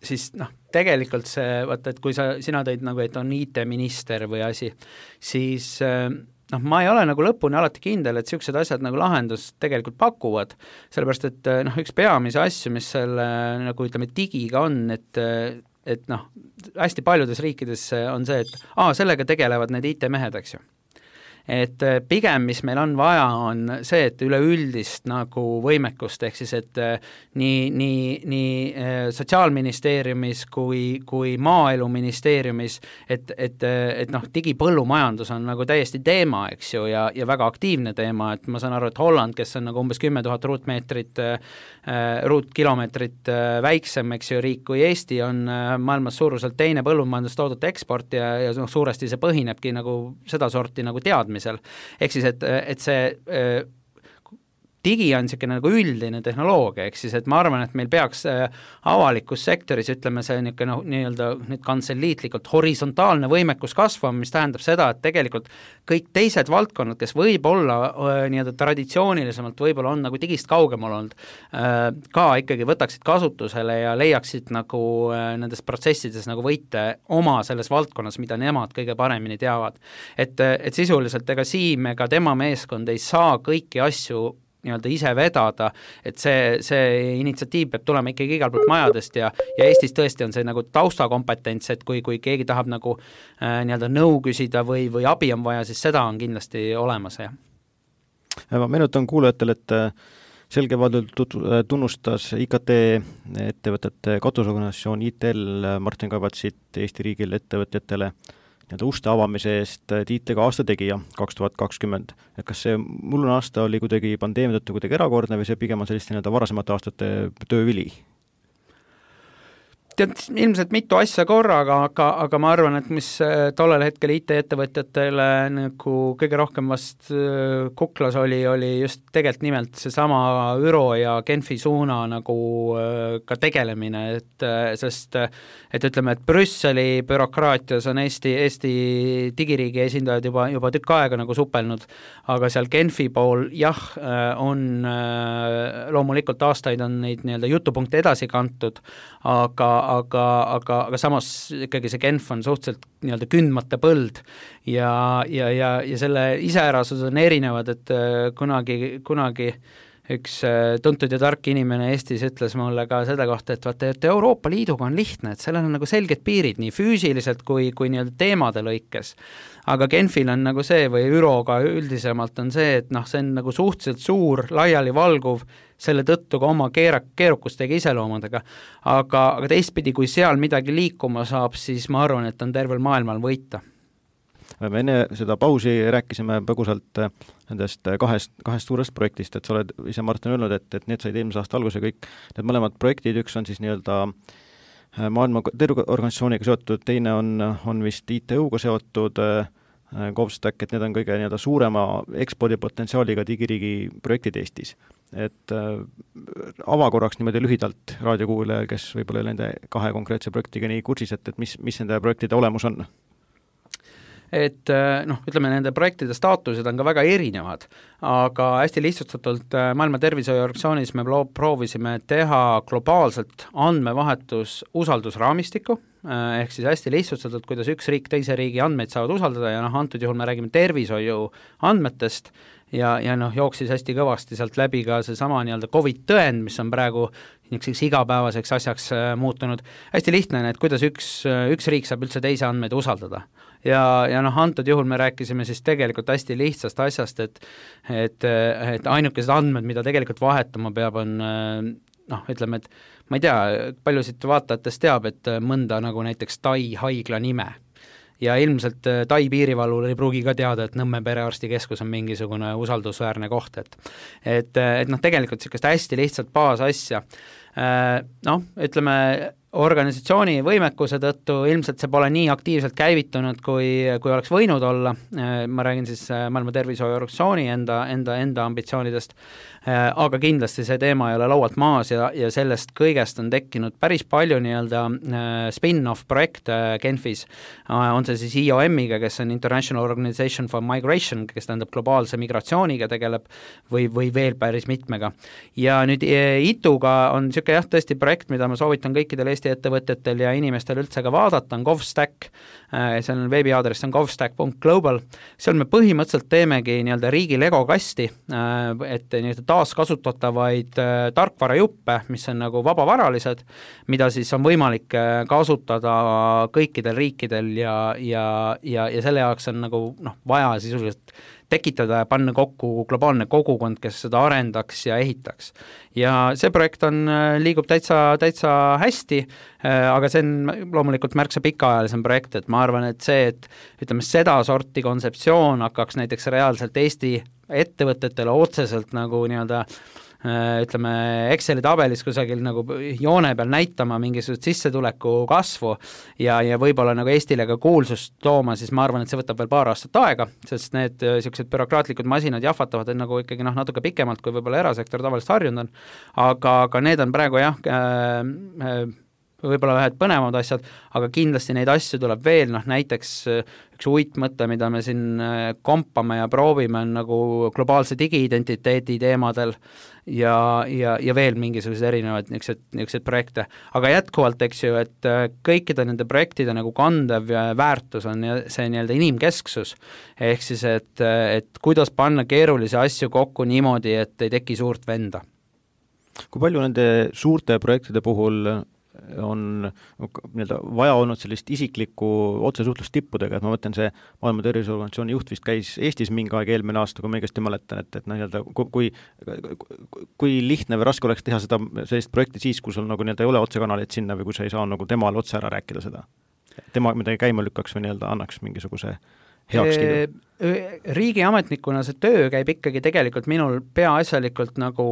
siis noh, tegelikult see, vaata, et kui sa, sina tõid nagu, et on I T-minister või asi, siis noh, ma ei ole nagu lõpuni alati kindel, et niisugused asjad nagu lahendus tegelikult pakuvad, sellepärast et noh, üks peamise asju, mis selle nagu ütleme digiga on, et, et noh, hästi paljudes riikides on see, et aa, sellega tegelevad need I T-mehed, eks ju. Et pigem, mis meil on vaja, on see, et üleüldist nagu võimekust, ehk siis, et nii, nii, nii sotsiaalministeeriumis kui, kui maaeluministeeriumis, et, et, et noh, digipõllumajandus on nagu täiesti teema, eks ju, ja, ja väga aktiivne teema, et ma saan aru, et Holland, kes on nagu umbes kümme tuhat ruutmeetrit, ruutkilomeetrit väiksem, eks ju, riik kui Eesti, on maailmas suuruselt teine põllumajandustoodete eksport ja, ja noh, suuresti see põhinebki nagu seda sorti nagu teadmisel. Ehk siis, et, et see äh, digi on niisugune nagu üldine tehnoloogia, ehk siis, et ma arvan, et meil peaks äh, avalikus sektoris, ütleme see niisugune noh, nii-öelda nüüd kantseliitlikult horisontaalne võimekus kasvama, mis tähendab seda, et tegelikult kõik teised valdkonnad, kes võib-olla äh, nii-öelda traditsioonilisemalt võib-olla on nagu digist kaugemal olnud, äh, ka ikkagi võtaksid kasutusele ja leiaksid nagu äh, nendes protsessides nagu võite oma selles valdkonnas, mida nemad kõige paremini teavad. Et, et sisuliselt ega Siim ega tema meeskond ei saa kõiki asju nii-öelda ise vedada, et see, see initsiatiiv peab tulema ikkagi igalt poolt majadest ja, ja Eestis tõesti on see nagu taustakompetents, et kui, kui keegi tahab nagu äh, nii-öelda nõu küsida või, või abi on vaja, siis seda on kindlasti olemas, jah. Ma meenutan kuulajatele, et selgevaldel tunnustas I K T ettevõtete katusorganisatsioon I T L Martin Kavatsit Eesti riigil ettevõtjatele nii-öelda uste avamise eest I T-ga aasta tegija kaks tuhat kakskümmend. Et kas see mullune aasta oli kuidagi pandeemia tõttu kuidagi erakordne või see pigem on selliste nii-öelda varasemate aastate töövili? Tead, ilmselt mitu asja korraga, aga, aga ma arvan, et mis tollel hetkel I T-ettevõtjatele nagu kõige rohkem vast kuklas oli, oli just tegelikult nimelt seesama Üro ja Genfi suuna nagu ka tegelemine, et sest et ütleme, et Brüsseli bürokraatias on Eesti, Eesti digiriigi esindajad juba, juba tükk aega nagu supelnud, aga seal Genfi pool jah, on loomulikult aastaid on neid nii-öelda jutupunkte edasi kantud, aga aga, aga, aga samas ikkagi see Genf on suhteliselt nii-öelda kündmata põld ja, ja, ja, ja selle iseärasused on erinevad, et kunagi, kunagi üks tuntud ja tark inimene Eestis ütles mulle ka seda kohta, et vaata, et Euroopa Liiduga on lihtne, et sellel on nagu selged piirid nii füüsiliselt kui, kui nii-öelda teemade lõikes. Aga Genfil on nagu see või Üroga üldisemalt on see, et noh, see on nagu suhteliselt suur, laiali valguv, selle tõttu ka oma keera, keerukustega iseloomadega. Aga, aga teistpidi, kui seal midagi liikuma saab, siis ma arvan, et on tervel maailmal võita. Me enne seda pausi rääkisime põgusalt nendest kahest, kahest suurest projektist, et sa oled ise, Martin, öelnud, et, et need said eelmise aasta alguse kõik, need mõlemad projektid, üks on siis nii-öelda maailma terviseorganisatsiooniga seotud, teine on, on vist I T U-ga seotud GovStack, et need on kõige nii-öelda suurema ekspordipotentsiaaliga digiriigi projektid Eestis. Et äh, ava korraks niimoodi lühidalt raadiokuulajal, kes võib-olla nende kahe konkreetse projektiga nii kursis, et, et mis, mis nende projektide olemus on? Et noh, ütleme, nende projektide staatused on ka väga erinevad, aga hästi lihtsustatult Maailma Terviseorganisatsioonis me proovisime teha globaalselt andmevahetus usaldusraamistikku, ehk siis hästi lihtsustatult, kuidas üks riik teise riigi andmeid saavad usaldada ja noh, antud juhul me räägime tervishoiu andmetest ja, ja noh, jooksis hästi kõvasti sealt läbi ka see sama nii-öelda COVID-tõend, mis on praegu niisuguseks igapäevaseks asjaks muutunud. Hästi lihtne, et kuidas üks, üks riik saab üldse teise andmeid usaldada. Ja, ja noh, antud juhul me rääkisime siis tegelikult hästi lihtsast asjast, et, et, et ainukesed andmed, mida tegelikult vahetama peab, on noh, ütleme, et ma ei tea, palju siit vaatajatest teab, et mõnda nagu näiteks Tai haigla nime. Ja ilmselt Tai piirivalvur ei pruugi ka teada, et Nõmme perearstikeskus on mingisugune usaldusväärne koht, et, et, et noh, tegelikult sellist hästi lihtsalt baasasja. Noh, ütleme, organisatsiooni võimekuse tõttu ilmselt see pole nii aktiivselt käivitunud, kui, kui oleks võinud olla. Ma räägin siis Maailma Terviseorganisatsiooni enda, enda, enda ambitsioonidest, aga kindlasti see teema ei ole laualt maas ja, ja sellest kõigest on tekkinud päris palju nii-öelda spin-off projekte Genfis. On see siis I O M-iga, kes on International Organization for Migration, kes tähendab globaalse migratsiooniga tegeleb või, või veel päris mitmega. Ja nüüd I T U-ga on niisugune jah, tõesti projekt, mida ma soovitan kõikidel Eesti ettevõttetel ja inimestel üldse ka vaadata, on GovStack, seal on veebiaadress on govstack punkt global, seal me põhimõtteliselt teemegi nii-öelda riigi Lego kasti, et nii-öelda taaskasutatavaid tarkvarajuppe, mis on nagu vabavaralised, mida siis on võimalik kasutada kõikidel riikidel ja, ja, ja, ja selle jaoks on nagu noh, vaja sisuliselt tekitada ja panna kokku globaalne kogukond, kes seda arendaks ja ehitaks. Ja see projekt on, liigub täitsa, täitsa hästi, aga see on loomulikult märksa pikaajalisem projekt, et ma arvan, et see, et ütleme, seda sorti kontseptsioon hakkaks näiteks reaalselt Eesti ettevõtetele otseselt nagu nii-öelda ütleme, Exceli tabelis kusagil nagu joone peal näitama mingisugust sissetuleku kasvu ja, ja võib-olla nagu Eestile ka kuulsust tooma, siis ma arvan, et see võtab veel paar aastat aega, sest need sellised bürokraatlikud masinad jahvatavad nagu ikkagi noh, natuke pikemalt, kui võib-olla erasektor tavaliselt harjunud on, aga, aga need on praegu jah, äh, võib-olla ühed põnevamad asjad, aga kindlasti neid asju tuleb veel, noh näiteks üks uitmõte, mida me siin kompame ja proovime, on nagu globaalse digiidentiteedi teemadel ja, ja, ja veel mingisugused erinevad niisugused, niisugused projekte. Aga jätkuvalt, eks ju, et kõikide nende projektide nagu kandev väärtus on see nii-öelda inimkesksus, ehk siis, et, et kuidas panna keerulisi asju kokku niimoodi, et ei teki suurt venda. Kui palju nende suurte projektide puhul on nii-öelda vaja olnud sellist isiklikku otsesuhtlust tippudega, et ma mõtlen, see Maailma Terviseorganisatsiooni juht vist käis Eestis mingi aeg eelmine aasta, kui ma õigesti mäletan, et, et nii-öelda kui, kui lihtne või raske oleks teha seda sellist projekti siis, kui sul nagu nii-öelda ei ole otsekanalit sinna või kui sa ei saa nagu temal otse ära rääkida seda. Tema midagi käima lükkaks või nii-öelda annaks mingisuguse heakskiidu. Riigiametnikuna see töö käib ikkagi tegelikult minul peaasjalikult nagu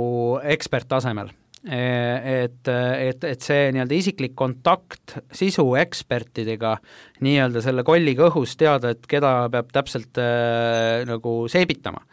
eksperttasemel. Et, et, et see nii-öelda isiklik kontakt sisu ekspertidega nii-öelda selle kolliga õhus teada, et keda peab täpselt äh, nagu seebitama.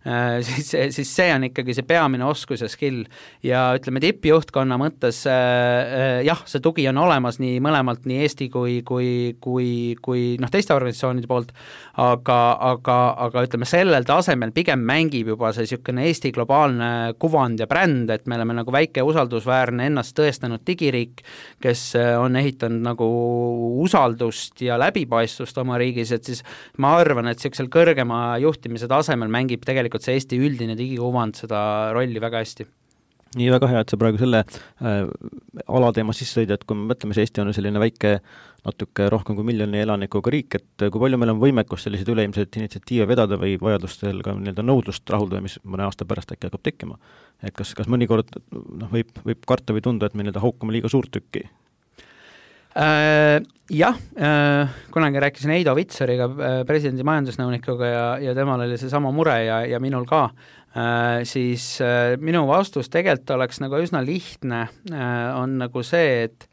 Äh, siis, siis see on ikkagi see peamine oskus ja skill ja ütleme tippjuhtkonna mõttes äh, jah, see tugi on olemas nii mõlemalt, nii Eesti kui, kui, kui, kui noh, teiste organisatsioonide poolt, aga, aga, aga ütleme sellel tasemel pigem mängib juba see niisugune Eesti globaalne kuvand ja bränd, et me oleme nagu väike usaldusväärne ennast tõestanud digiriik, kes on ehitanud nagu usaldust ja läbipaistvust oma riigis, et siis ma arvan, et niisugusel kõrgema juhtimise tasemel mängib tegelikult tegelikult see Eesti üldine digikuvand seda rolli väga hästi. Nii väga hea, et sa praegu selle äh, alateema sisse sõid, et kui me mõtleme, see Eesti on selline väike, natuke rohkem kui miljoni elanikuga riik, et kui palju meil on võimekust selliseid üleilmseid initsiatiive vedada või vajadustel ka nii-öelda nõudlust rahuldada, mis mõne aasta pärast äkki hakkab tekkima. Et kas, kas mõnikord noh, võib, võib karta või tunda, et me nii-öelda haukame liiga suurt tükki? Äh, jah, äh, kunagi rääkisin Heido Vitsariga, presidendi majandusnõunikuga ja, ja temal oli see sama mure ja, ja minul ka. Äh, siis äh, minu vastus tegelikult oleks nagu üsna lihtne, äh, on nagu see, et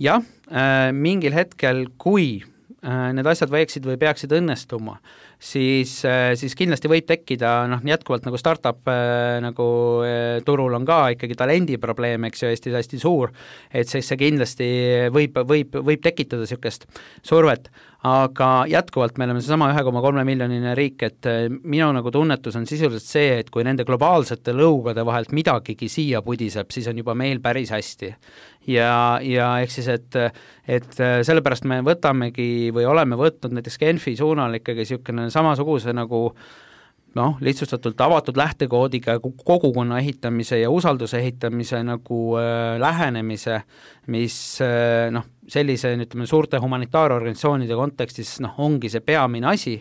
jah, äh, mingil hetkel, kui äh, need asjad võiksid või peaksid õnnestuma, siis, äh, siis kindlasti võib tekkida, noh, jätkuvalt nagu startup äh, nagu äh, turul on ka ikkagi talendi probleem, eks ju, Eestis hästi suur, et siis see kindlasti võib, võib, võib tekitada niisugust survet, aga jätkuvalt me oleme seesama üks koma kolm miljonine riik, et minu nagu tunnetus on sisuliselt see, et kui nende globaalsete lõugade vahelt midagigi siia pudiseb, siis on juba meil päris hästi. Ja, ja ehk siis, et, et sellepärast me võtamegi või oleme võtnud näiteks Genfi suunal ikkagi niisugune samasuguse nagu noh, lihtsustatult avatud lähtekoodiga kogukonna ehitamise ja usalduse ehitamise nagu äh, lähenemise, mis äh, noh, sellise ütleme, suurte humanitaarorganisatsioonide kontekstis noh, ongi see peamine asi,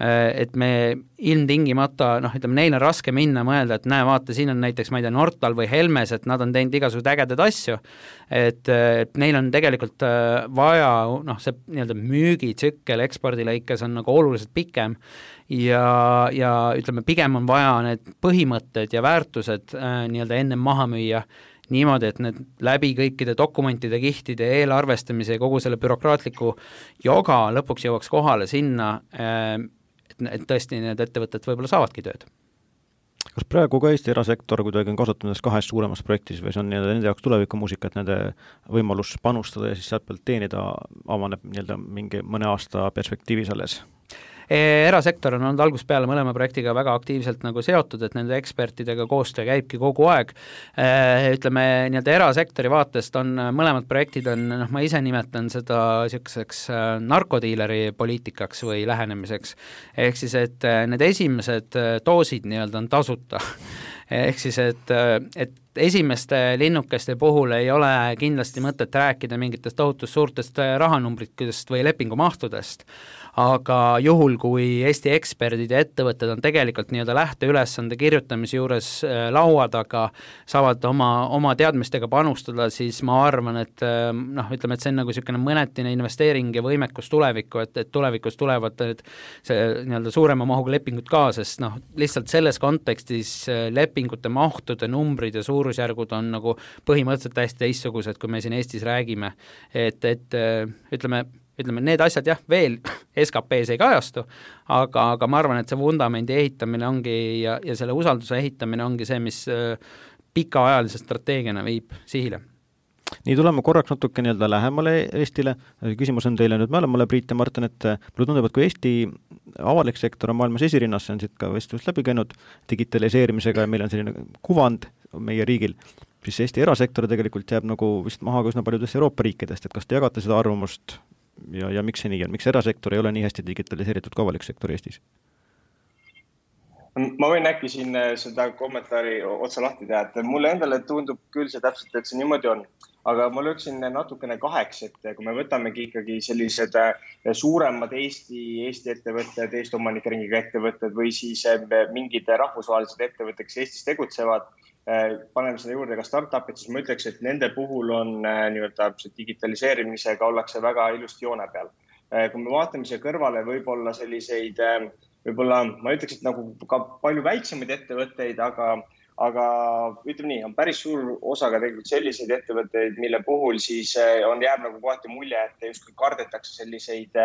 äh, et me ilmtingimata, noh, ütleme, neil on raske minna mõelda, et näe, vaata, siin on näiteks, ma ei tea, Nortal või Helmes, et nad on teinud igasugused ägedad asju, et, et neil on tegelikult äh, vaja, noh, see nii-öelda müügitsükkel ekspordilõikes on nagu oluliselt pikem, ja, ja ütleme, pigem on vaja need põhimõtted ja väärtused äh, nii-öelda ennem maha müüa niimoodi, et need läbi kõikide dokumentide, kihtide, eelarvestamise ja kogu selle bürokraatliku joga lõpuks jõuaks kohale sinna, äh, et, et tõesti need ettevõtted võib-olla saavadki tööd. Kas praegu ka Eesti erasektor kuidagi on kasutanud kahes suuremas projektis või see on nii-öelda nende jaoks tulevikumuusika, et nende võimalus panustada ja siis sealt pealt teenida avaneb nii-öelda mingi mõne aasta perspektiivis alles? Erasektor on olnud algusest peale mõlema projektiga väga aktiivselt nagu seotud, et nende ekspertidega koostöö käibki kogu aeg. Ütleme, nii-öelda erasektori vaatest on mõlemad projektid on, noh, ma ise nimetan seda niisuguseks narkodiileri poliitikaks või lähenemiseks. Ehk siis, et need esimesed doosid nii-öelda on tasuta. Ehk siis, et, et esimeste linnukeste puhul ei ole kindlasti mõtet rääkida mingitest tohutust suurtest rahanumbritest või lepingumahtudest, aga juhul, kui Eesti eksperdid ja ettevõtted on tegelikult nii-öelda lähteülesande kirjutamise juures laua taga, saavad oma, oma teadmistega panustada, siis ma arvan, et noh, ütleme, et see on nagu niisugune mõnetine investeering ja võimekus tulevikku, et, et tulevikus tulevad need, see nii-öelda suurema mahuga lepingud ka, sest noh, lihtsalt selles kontekstis lepingute mahtude numbrid ja suurusjärgud on nagu põhimõtteliselt täiesti teistsugused, kui me siin Eestis räägime, et, et ütleme, ütleme, need asjad jah, veel S K P-s ei kajastu, aga, aga ma arvan, et see vundamendi ehitamine ongi ja, ja selle usalduse ehitamine ongi see, mis pikaajalise strateegiana viib sihile. Nii tuleme korraks natuke nii-öelda lähemale Eestile. Küsimus on teile nüüd mõlemale, Priit ja Martin, et mulle tundub, et kui Eesti avalik sektor on maailmas esirinnas, see on siit ka vestlust läbi käinud digitaliseerimisega ja meil on selline kuvand meie riigil, siis Eesti erasektor tegelikult jääb nagu vist maha ka üsna paljudest Euroopa riikidest, et kas te jagate seda arvamust ja, ja miks see nii on? Miks erasektor ei ole nii hästi digitaliseeritud ka avalik sektor Eestis? Ma võin äkki siin seda kommentaari otsa lahti teha, et mulle endale tundub küll see täpselt, et see niimoodi on. Aga ma lööksin natukene kaheks, et kui me võtamegi ikkagi sellised suuremad Eesti, Eesti ettevõtted, Eesti omanikeringiga ettevõtted või siis mingid rahvusvahelised ettevõtted, kes Eestis tegutsevad, paneme seda juurde ka startupid, siis ma ütleks, et nende puhul on nii-öelda digitaliseerimisega ollakse väga ilusti joone peal. Kui me vaatame siia kõrvale võib-olla selliseid, võib-olla ma ütleks, et nagu ka palju väiksemaid ettevõtteid, aga Aga ütleme nii, on päris suur osaga tegelikult selliseid ettevõtteid, mille puhul siis on jääb nagu kohati mulje, et just kardetakse selliseid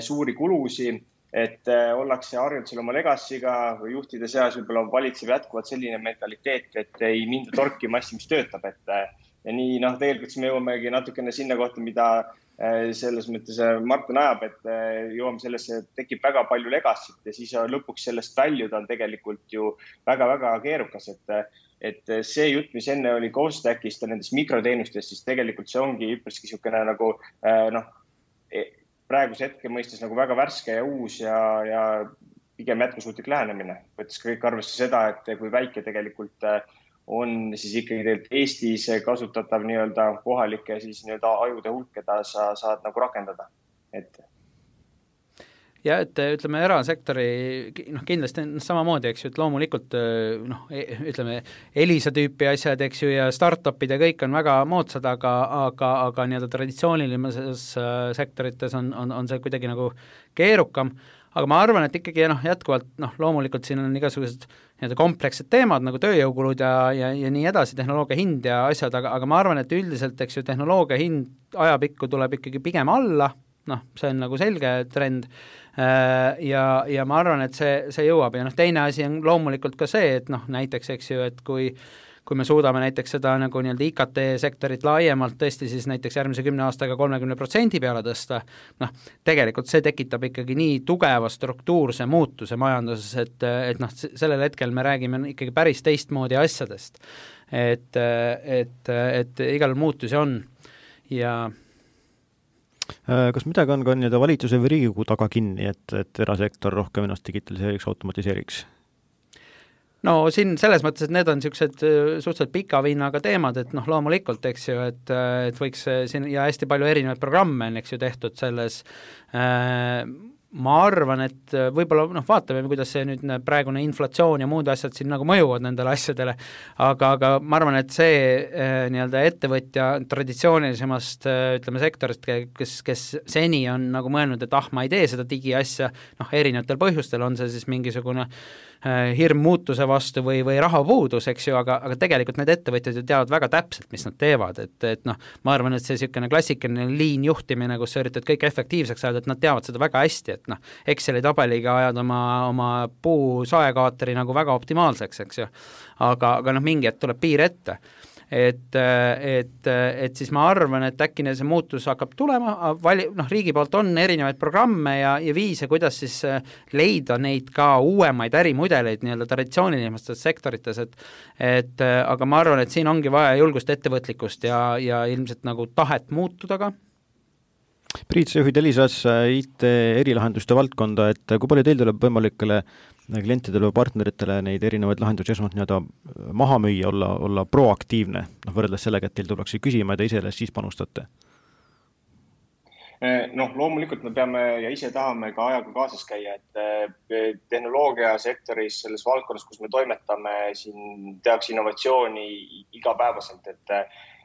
suuri kulusi, et ollakse harjunud selle oma legacy'ga või juhtide seas võib-olla valitseb jätkuvalt selline mentaliteet, et ei minda torkima asja, mis töötab. Et, ja nii, noh, tegelikult me jõuamegi natukene sinna kohta, mida selles mõttes Martin ajab, et jõuame sellesse, tekib väga palju legacy't ja siis lõpuks sellest väljuda on tegelikult ju väga-väga keerukas, et, et see jutt, mis enne oli Costackist ja nendest mikroteenustest, siis tegelikult see ongi üpriski niisugune nagu noh, praeguse hetke mõistes nagu väga värske ja uus ja, ja pigem jätkusuutlik lähenemine, võttes kõik arvesse seda, et kui väike tegelikult on siis ikkagi tegelikult Eestis kasutatav nii-öelda kohalike siis nii-öelda ajude hulk, keda sa saad nagu rakendada. Et ja et ütleme, erasektori noh, kindlasti samamoodi, eks ju, et loomulikult noh, ütleme, Elisa tüüpi asjad, eks ju, ja startupid ja kõik on väga moodsad, aga, aga, aga nii-öelda traditsioonilises sektorites on, on, on see kuidagi nagu keerukam, aga ma arvan, et ikkagi noh, jätkuvalt noh, loomulikult siin on igasugused nii-öelda komplekssed teemad nagu tööjõukulud ja, ja, ja nii edasi, tehnoloogia hind ja asjad, aga, aga ma arvan, et üldiselt, eks ju, tehnoloogia hind ajapikku tuleb ikkagi pigem alla, noh, see on nagu selge trend ja, ja ma arvan, et see, see jõuab ja noh, teine asi on loomulikult ka see, et noh, näiteks, eks ju, et kui kui me suudame näiteks seda nagu nii-öelda I K T-sektorit laiemalt tõesti siis näiteks järgmise kümne aastaga kolmekümne protsendi peale tõsta, noh, tegelikult see tekitab ikkagi nii tugeva struktuurse muutuse majanduses, et, et noh, sellel hetkel me räägime ikkagi päris teistmoodi asjadest. Et, et, et igal muutusi on ja kas midagi on ka nii-öelda valitsuse või Riigikogu taga kinni, et, et erasektor rohkem ennast digitaliseeriks, automatiseeriks? No siin selles mõttes, et need on niisugused suhteliselt pika vinnaga teemad, et noh, loomulikult, eks ju, et, et võiks siin ja hästi palju erinevaid programme on, eks ju, tehtud selles äh, ma arvan, et võib-olla noh, vaatame, kuidas see nüüd praegune inflatsioon ja muud asjad siin nagu mõjuvad nendele asjadele, aga, aga ma arvan, et see äh, nii-öelda ettevõtja traditsioonilisemast äh, ütleme sektorist, kes, kes seni on nagu mõelnud, et ah, ma ei tee seda digiasja, noh, erinevatel põhjustel on see siis mingisugune hirm muutuse vastu või, või rahapuudus, eks ju, aga, aga tegelikult need ettevõtjad ju teavad väga täpselt, mis nad teevad, et, et noh, ma arvan, et see niisugune klassikaline liin juhtimine, kus sa üritad kõik efektiivseks ajada, et nad teavad seda väga hästi, et noh, Exceli tabeliga ajad oma, oma puu saekaatori nagu väga optimaalseks, eks ju, aga, aga noh, mingi hetk tuleb piir ette. Et, et, et siis ma arvan, et äkki see muutus hakkab tulema, vali, noh, riigi poolt on erinevaid programme ja, ja viise, kuidas siis leida neid ka uuemaid ärimudeleid nii-öelda traditsioonilistes sektorites, et, et aga ma arvan, et siin ongi vaja julgust, ettevõtlikkust ja, ja ilmselt nagu tahet muutuda ka. Priit, sa juhid Elisas I T erilahenduste valdkonda, et kui palju teil tuleb võimalikele klientidele või partneritele neid erinevaid lahendusi esmalt nii-öelda maha müüa, olla, olla proaktiivne, noh, võrreldes sellega, et teil tullakse küsima ja te ise siis panustate? Noh, loomulikult me peame ja ise tahame ka ajaga kaasas käia, et tehnoloogiasektoris selles valdkonnas, kus me toimetame, siin tehakse innovatsiooni igapäevaselt, et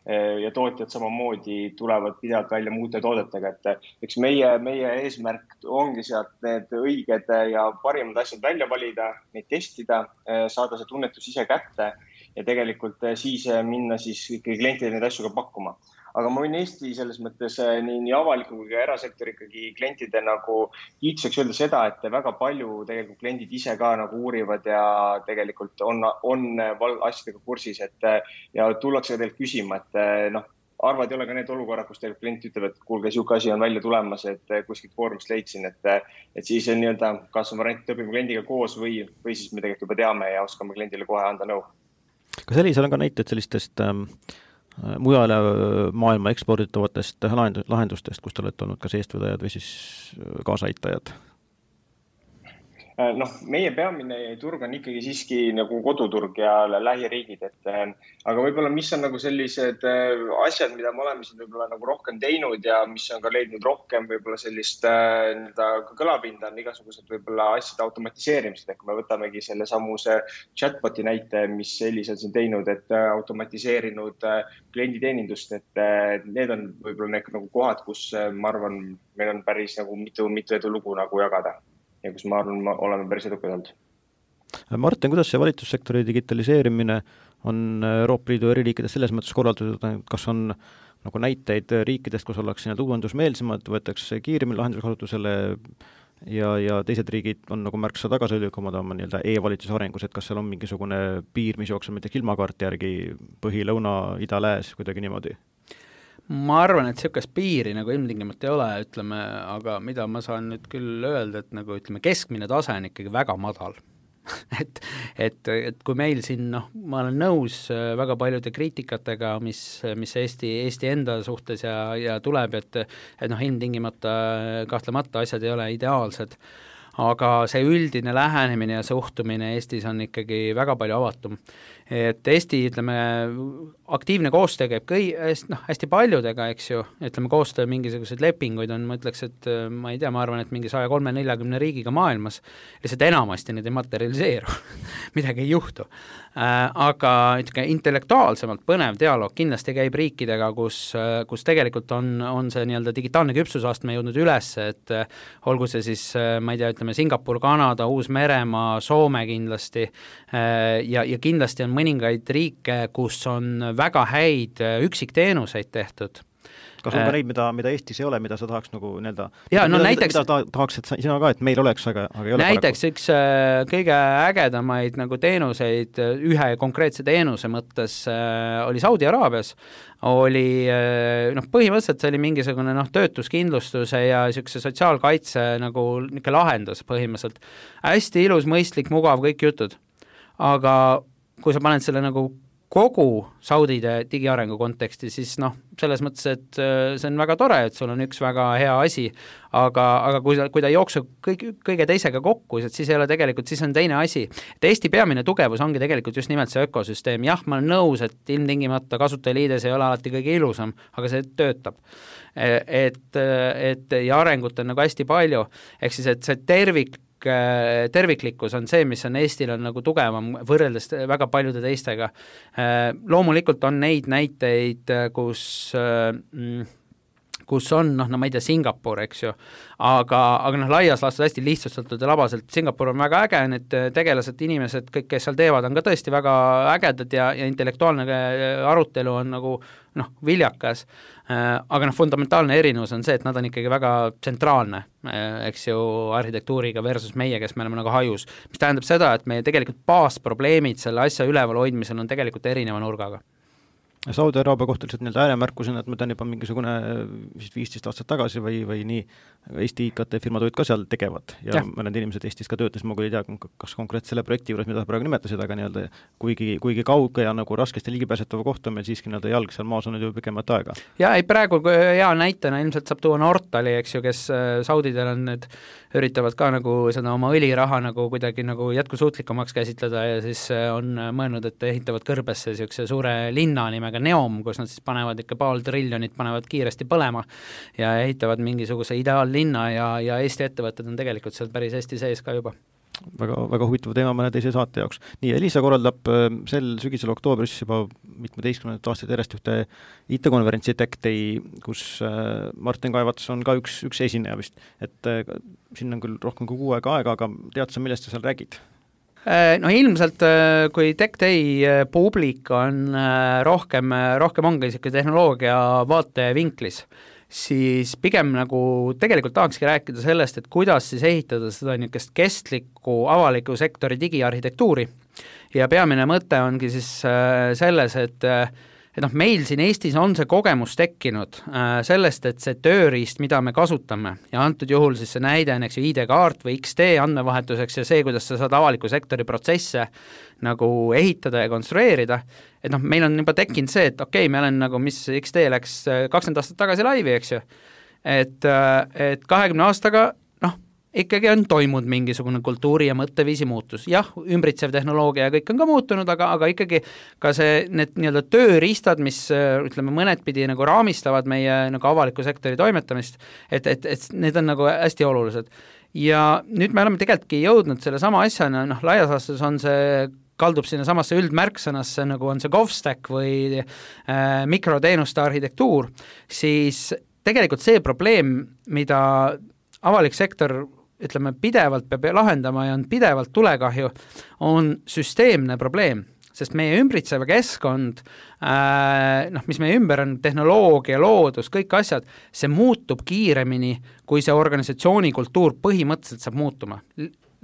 ja tootjad samamoodi tulevad pidevalt välja muude toodetega, et eks meie, meie eesmärk ongi sealt need õiged ja parimad asjad välja valida, neid testida, saada see tunnetus ise kätte ja tegelikult siis minna siis ikkagi klientidele neid asju ka pakkuma. Aga ma võin Eesti selles mõttes nii, nii avaliku kui ka erasektori ikkagi klientide nagu kiituseks öelda seda, et väga palju tegelikult kliendid ise ka nagu uurivad ja tegelikult on, on asjadega kursis, et ja tullakse ka teilt küsima, et noh, arvad ei ole ka need olukorrad, kus tegelikult klient ütleb, et kuulge, siuke asi on välja tulemas, et kuskilt foorumist leidsin, et, et siis on nii-öelda, kas on variant, õpime kliendiga koos või, või siis me tegelikult juba teame ja oskame kliendile kohe anda nõu. Kas Elisal on ka näited sellistest ähm... mujale maailma eksporditavatest lahendustest, kus te olete olnud kas eestvedajad või siis kaasaitajad? Noh, meie peamine turg on ikkagi siiski nagu koduturg ja lähiriigid, et aga võib-olla mis on nagu sellised asjad, mida me oleme siin võib-olla nagu rohkem teinud ja mis on ka leidnud rohkem võib-olla sellist nii-öelda kõlapinda on igasugused võib-olla asjade automatiseerimised, ehk me võtamegi selle samuse chatboti näite, mis Elisa siin teinud, et automatiseerinud klienditeenindust, et need on võib-olla need nagu kohad, kus ma arvan, meil on päris nagu mitu, mitu edulugu nagu jagada. Ja kus ma arvan, ma oleme päris edukad olnud. Martin, kuidas see valitsussektori digitaliseerimine on Euroopa Liidu eri riikides selles mõttes korraldatud, kas on nagu näiteid riikidest, kus ollakse need uuendusmeelsemad, võetakse kiiremini lahenduse kasutusele ja, ja teised riigid on nagu märksa tagasihoidlikumad oma nii-öelda e-valitsuse arengus, et kas seal on mingisugune piir, mis jookseb mitte ilmakaarti järgi põhi, lõuna, ida, lääs, kuidagi niimoodi? Ma arvan, et niisugust piiri nagu ilmtingimata ei ole, ütleme, aga mida ma saan nüüd küll öelda, et nagu ütleme, keskmine tase on ikkagi väga madal. et, et, et kui meil siin, noh, ma olen nõus väga paljude kriitikatega, mis, mis Eesti, Eesti enda suhtes ja, ja tuleb, et, et noh, ilmtingimata kahtlemata asjad ei ole ideaalsed. aga see üldine lähenemine ja suhtumine Eestis on ikkagi väga palju avatum. Et Eesti, ütleme, aktiivne koostöö käib kõi, noh, hästi paljudega, eks ju, ütleme, koostöö mingisuguseid lepinguid on, ma ütleks, et ma ei tea, ma arvan, et mingi saja kolme neljakümne riigiga maailmas, lihtsalt enamasti need ei materialiseeru, midagi ei juhtu. Aga ütleme, intellektuaalsemalt põnev dialoog kindlasti käib riikidega, kus, kus tegelikult on, on see nii-öelda digitaalne küpsusastme jõudnud üles, et olgu see siis, ma ei tea, ütleme, Singapur, Kanada, Uus-Meremaa, Soome kindlasti ja, ja kindlasti on mõningaid riike, kus on väga häid üksikteenuseid tehtud. Kas on ka neid, mida, mida Eestis ei ole, mida sa tahaks nagu nii-öelda, ja, no mida, näiteks, mida tahaks, et sina ka, et meil oleks, aga, aga ei ole näiteks paraku. Üks kõige ägedamaid nagu teenuseid ühe konkreetse teenuse mõttes oli Saudi Araabias, oli noh, põhimõtteliselt see oli mingisugune noh, töötuskindlustuse ja niisuguse sotsiaalkaitse nagu niisugune lahendus põhimõtteliselt. Hästi ilus, mõistlik, mugav, kõik jutud. Aga kui sa paned selle nagu kogu Saudide digiarengu konteksti, siis noh, selles mõttes, et see on väga tore, et sul on üks väga hea asi, aga, aga kui, kui ta jookseb kõik, kõige teisega kokku, siis ei ole tegelikult, siis on teine asi. Et Eesti peamine tugevus ongi tegelikult just nimelt see ökosüsteem. Jah, ma olen nõus, et ilmtingimata kasutajaliides ei ole alati kõige ilusam, aga see töötab. Et, et ja arengut on nagu hästi palju, ehk siis, et see tervik terviklikkus on see, mis on Eestil on nagu tugevam võrreldes väga paljude teistega. Loomulikult on neid näiteid, kus, kus on, noh, no ma ei tea, Singapur, eks ju, aga, aga noh, laias laastus hästi lihtsustatud ja labaselt. Singapur on väga äge, need tegelased, inimesed, kõik, kes seal teevad, on ka tõesti väga ägedad ja, ja intellektuaalne arutelu on nagu noh, viljakas, aga noh, fundamentaalne erinevus on see, et nad on ikkagi väga tsentraalne, eks ju, arhitektuuriga versus meie, kes me oleme nagu hajus, mis tähendab seda, et meie tegelikult baasprobleemid selle asja üleval hoidmisel on tegelikult erineva nurgaga. Saudi Araabia kohta lihtsalt nii-öelda ääremärkusena, et me täna juba mingisugune vist viisteist aastat tagasi või, või nii Eesti I K T-firmad olid ka seal tegevad ja, ja. mõned inimesed Eestis ka töötas, ma küll ei tea, kas konkreetselt selle projekti juures, mida praegu nimetasid, aga nii-öelda kuigi, kuigi kauge ja nagu raskesti ligipääsetava kohta meil siiski nii-öelda jalg seal maas on ju pikemat aega. Ja ei, praegu hea näitena ilmselt saab tuua Nortali, eks ju, kes Saudidel on nüüd üritavad ka nagu seda oma õliraha nagu kuidagi nagu jätkusuutlikumaks käsitleda ja siis on mõelnud, et ehitavad kõrbesse niisuguse suure linna nimega Neom, kus nad siis panevad ikka paar triljonit, panevad kiiresti põlema ja ehitavad mingisuguse ideaallinna ja, ja Eesti ettevõtted on tegelikult seal päris Eesti sees ka juba. Väga, väga huvitav teema mõne teise saate jaoks. Nii, Elisa korraldab sel sügisel oktoobris juba mitmeteistkümnendat aastat järjest ühte I T-konverentsi Tech Day, kus Martin Kaevats on ka üks, üks esineja vist. Et siin on küll rohkem kui kuu aega aega, aga tead sa, millest sa seal räägid? No ilmselt, kui Tech Day publik on rohkem, rohkem ongi niisugune tehnoloogia vaatevinklis, siis pigem nagu tegelikult tahakski rääkida sellest, et kuidas siis ehitada seda niisugust kestlikku avaliku sektori digiarhitektuuri ja peamine mõte ongi siis selles, et et noh, meil siin Eestis on see kogemus tekkinud äh, sellest, et see tööriist, mida me kasutame ja antud juhul siis see näide on, eks ju, I D-kaart või X T andmevahetuseks ja see, kuidas sa saad avaliku sektori protsesse nagu ehitada ja konstrueerida, et noh, meil on juba tekkinud see, et okei, okay, me olen nagu, mis X T läks kakskümmend aastat tagasi laivi, eks ju, et, et kahekümne aastaga ikkagi on toimunud mingisugune kultuuri ja mõtteviisi muutus. Jah, ümbritsev tehnoloogia ja kõik on ka muutunud, aga, aga ikkagi ka see, need nii-öelda tööriistad, mis ütleme mõned pidi nagu raamistavad meie nagu avaliku sektori toimetamist, et, et, et need on nagu hästi olulised. Ja nüüd me oleme tegelikult jõudnud selle sama asjana, noh, laias laastus on see kaldub sinna samasse üldmärksõnasse, nagu on see GovStack või äh, mikroteenuste arhitektuur, siis tegelikult see probleem, mida avalik sektor ütleme, pidevalt peab lahendama ja on pidevalt tulekahju, on süsteemne probleem, sest meie ümbritseva keskkond, äh, noh, mis meie ümber on, tehnoloogia, loodus, kõik asjad, see muutub kiiremini, kui see organisatsiooni kultuur põhimõtteliselt saab muutuma.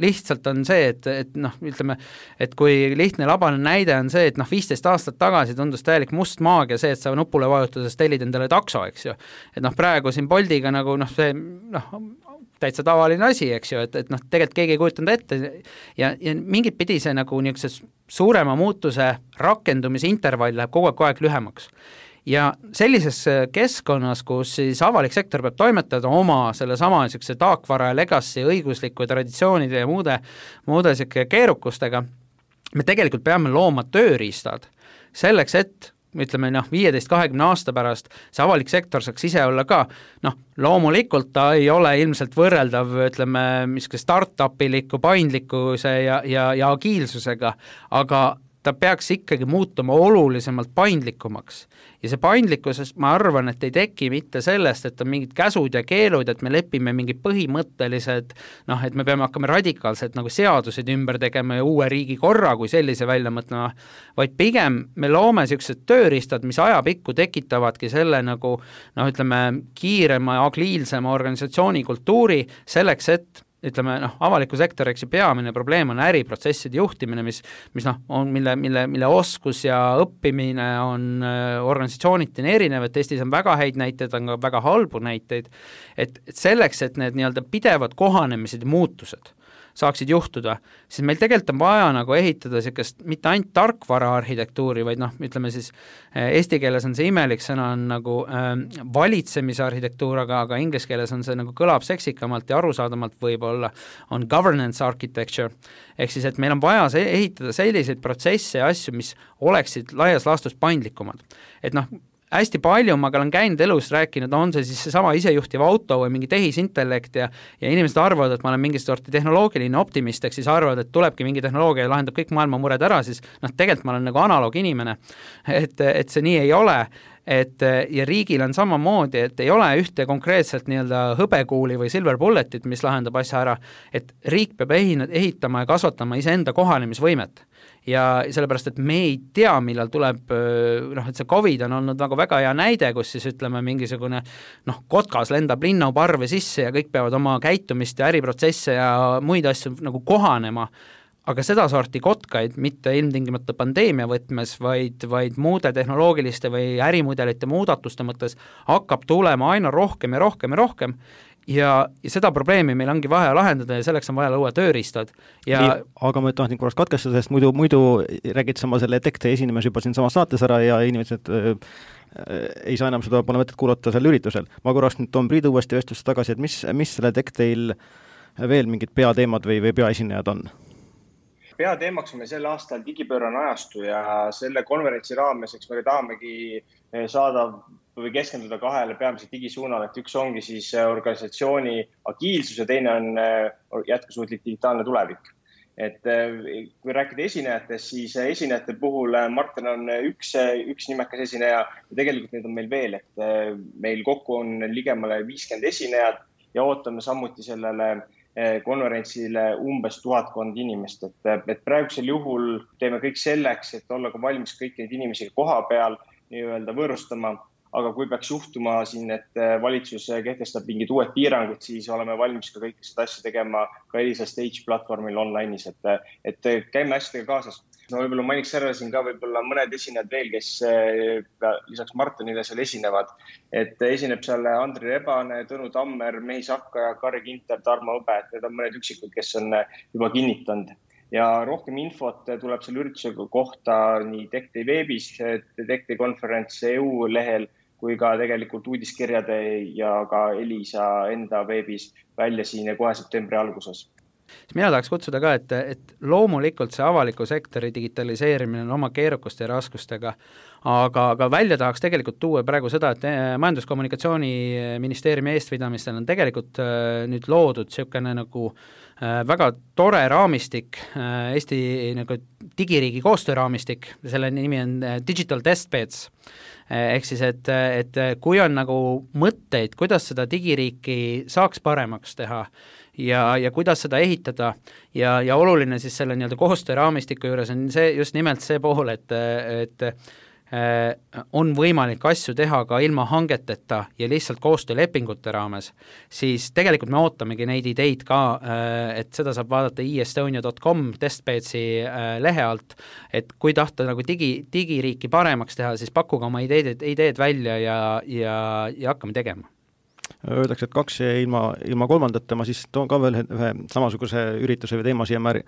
Lihtsalt on see, et, et noh, ütleme, et kui lihtne labane näide on see, et noh, viisteist aastat tagasi tundus täielik must maagia see, et sa nupule vajutuses tellid endale takso, eks ju. Et noh, praegu siin Boltiga nagu noh, see noh, täitsa tavaline asi, eks ju, et, et noh, tegelikult keegi ei kujutanud ette ja, ja mingit pidi see nagu niisuguse suurema muutuse rakendumise intervall läheb kogu aeg, kogu aeg lühemaks. ja sellises keskkonnas, kus siis avalik sektor peab toimetada oma selle sama niisuguse taakvara ja legacy õigusliku traditsioonide ja muude, muude niisugune keerukustega, me tegelikult peame looma tööriistad selleks, et ütleme noh, viieteist kahekümne aasta pärast see avalik sektor saaks ise olla ka, noh, loomulikult ta ei ole ilmselt võrreldav, ütleme, miski start-upiliku paindlikkuse ja, ja, ja agiilsusega, aga ta peaks ikkagi muutuma olulisemalt paindlikumaks. Ja see paindlikkuses ma arvan, et ei teki mitte sellest, et on mingid käsud ja keelud, et me lepime mingid põhimõttelised, noh, et me peame hakkama radikaalselt nagu seadused ümber tegema ja uue riigi korra kui sellise välja mõtlema, vaid pigem me loome sellised tööriistad, mis ajapikku tekitavadki selle nagu, noh, ütleme, kiirema ja agiilsema organisatsiooni kultuuri selleks, et ütleme, noh, avaliku sektori, eks ju, peamine probleem on äriprotsesside juhtimine, mis, mis noh, on, mille, mille, mille oskus ja õppimine on organisatsiooniti erinev, et Eestis on väga häid näiteid, on ka väga halbu näiteid, et, et selleks, et need nii-öelda pidevad kohanemised ja muutused saaksid juhtuda, siis meil tegelikult on vaja nagu ehitada niisugust mitte ainult tarkvara arhitektuuri, vaid noh, ütleme siis eesti keeles on see imelik sõna on nagu äh, valitsemise arhitektuur, aga, aga inglise keeles on see nagu kõlab seksikamalt ja arusaadamalt võib-olla, on governance architecture, ehk siis, et meil on vaja see, ehitada selliseid protsesse ja asju, mis oleksid laias laastus paindlikumad. Et noh, hästi palju ma olen käinud elus rääkinud, on see siis seesama isejuhtiv auto või mingi tehisintellekt ja, ja inimesed arvavad, et ma olen mingi sorti tehnoloogiline optimist, ehk siis arvavad, et tulebki mingi tehnoloogia ja lahendab kõik maailma mured ära, siis noh, tegelikult ma olen nagu analoog inimene, et, et see nii ei ole, et ja riigil on samamoodi, et ei ole ühte konkreetselt nii-öelda hõbekuuli või silver bulletit, mis lahendab asja ära, et riik peab ehitama ja kasvatama iseenda kohanemisvõimet. Ja sellepärast, et me ei tea, millal tuleb, noh, et see COVID on olnud nagu väga hea näide, kus siis ütleme mingisugune, noh, kotkas lendab linnaparve sisse ja kõik peavad oma käitumist ja äriprotsesse ja muid asju nagu kohanema, aga seda sorti kotkaid mitte ilmtingimata pandeemia võtmes, vaid, vaid muude tehnoloogiliste või ärimudelite muudatuste mõttes hakkab tulema aina rohkem ja rohkem ja rohkem ja, ja seda probleemi meil ongi vaja lahendada ja selleks on vaja luua tööriistad. Ja nii, aga ma tahtsin korraks katkestada, sest muidu, muidu räägid sama selle tekte esinemas juba siin samas saates ära ja inimesed äh, ei saa enam seda, pole mõtet kuulata seal üritusel. Ma korraks nüüd toon Priidu uuesti vestlusse tagasi, et mis, mis selle tekteil veel mingid peateemad või, või peaesinejad on? Peateemaks on meil sel aastal digipöörane ajastu ja selle konverentsi raames, eks me tahamegi saada või keskenduda kahele peamiselt digisuunale, et üks ongi siis organisatsiooni agiilsus ja teine on jätkusuutlik digitaalne tulevik. Et kui rääkida esinejatest, siis esinejate puhul Martin on üks, üks nimekas esineja ja tegelikult neid on meil veel, et meil kokku on ligemale viiskümmend esinejad ja ootame samuti sellele konverentsile umbes tuhatkond inimest, et, et praegusel juhul teeme kõik selleks, et olla ka valmis kõik neid inimesi koha peal nii-öelda võõrustama, aga kui peaks juhtuma siin, et valitsus kehtestab mingid uued piirangud, siis oleme valmis ka kõik seda asja tegema ka Elisa Stage platvormil online'is, et, et käime asjadega kaasas. No võib-olla mainiks ära siin ka võib-olla mõned esinejad veel, kes lisaks Martinile seal esinevad. Et esineb seal Andri Rebane, Tõnu Tammer, Mehis Akka ja Karri Kinter, Tarmo Õbe, et need on mõned üksikud, kes on juba kinnitanud. Ja rohkem infot tuleb selle ürituse kohta nii Techtei veebis, Techtei konverents E U lehel, kui ka tegelikult uudiskirjade ja ka Elisa enda veebis välja siin ja kohe septembri alguses. Mina tahaks kutsuda ka, et, et loomulikult see avaliku sektori digitaliseerimine on oma keerukuste ja raskustega, aga, aga välja tahaks tegelikult tuua praegu seda, et Majandus-kommunikatsiooniministeeriumi eestvedamistel on tegelikult nüüd loodud niisugune nagu väga tore raamistik, Eesti nagu digiriigi koostööraamistik, selle nimi on Digital Testbeds, ehk siis, et, et kui on nagu mõtteid, kuidas seda digiriiki saaks paremaks teha ja, ja kuidas seda ehitada ja, ja oluline siis selle nii-öelda koostööraamistiku juures on see, just nimelt see pool, et, et on võimalik asju teha ka ilma hangeteta ja lihtsalt koostöölepingute raames, siis tegelikult me ootamegi neid ideid ka, et seda saab vaadata e estonia dot com testbedsi lehe alt, et kui tahta nagu digi, digiriiki paremaks teha, siis pakkuge oma ideed, ideed välja ja, ja, ja hakkame tegema. Öeldakse, et kaks ja ilma, ilma kolmandata, ma siis toon ka veel ühe samasuguse ürituse või teema siia mär,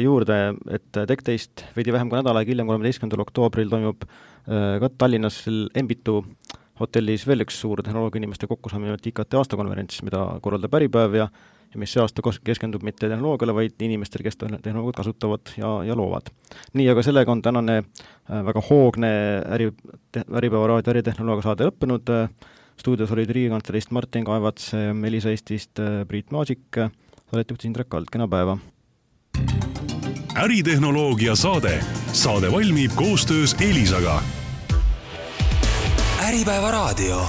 juurde, et TechTaste veidi vähem kui nädal aega hiljem, kolmeteistkümnendal oktoobril toimub ka Tallinnas Embitu hotellis veel üks suur tehnoloogia inimeste kokkusaamine I K T aastakonverents, mida korraldab Äripäev ja, ja mis see aasta keskendub mitte tehnoloogiale, vaid inimestel, kes tehnoloogiat kasutavad ja, ja loovad. Nii, aga sellega on tänane väga hoogne äri, Äripäeva raadio äritehnoloogia saade lõppenud. Stuudios olid Riigikantseleist Martin Kaevats, Elisa Eestist Priit Maasik, saadet juhtis Indrek Kald, kena päeva. Äritehnoloogia saade. Saade valmib koostöös Elisaga. Äripäeva raadio.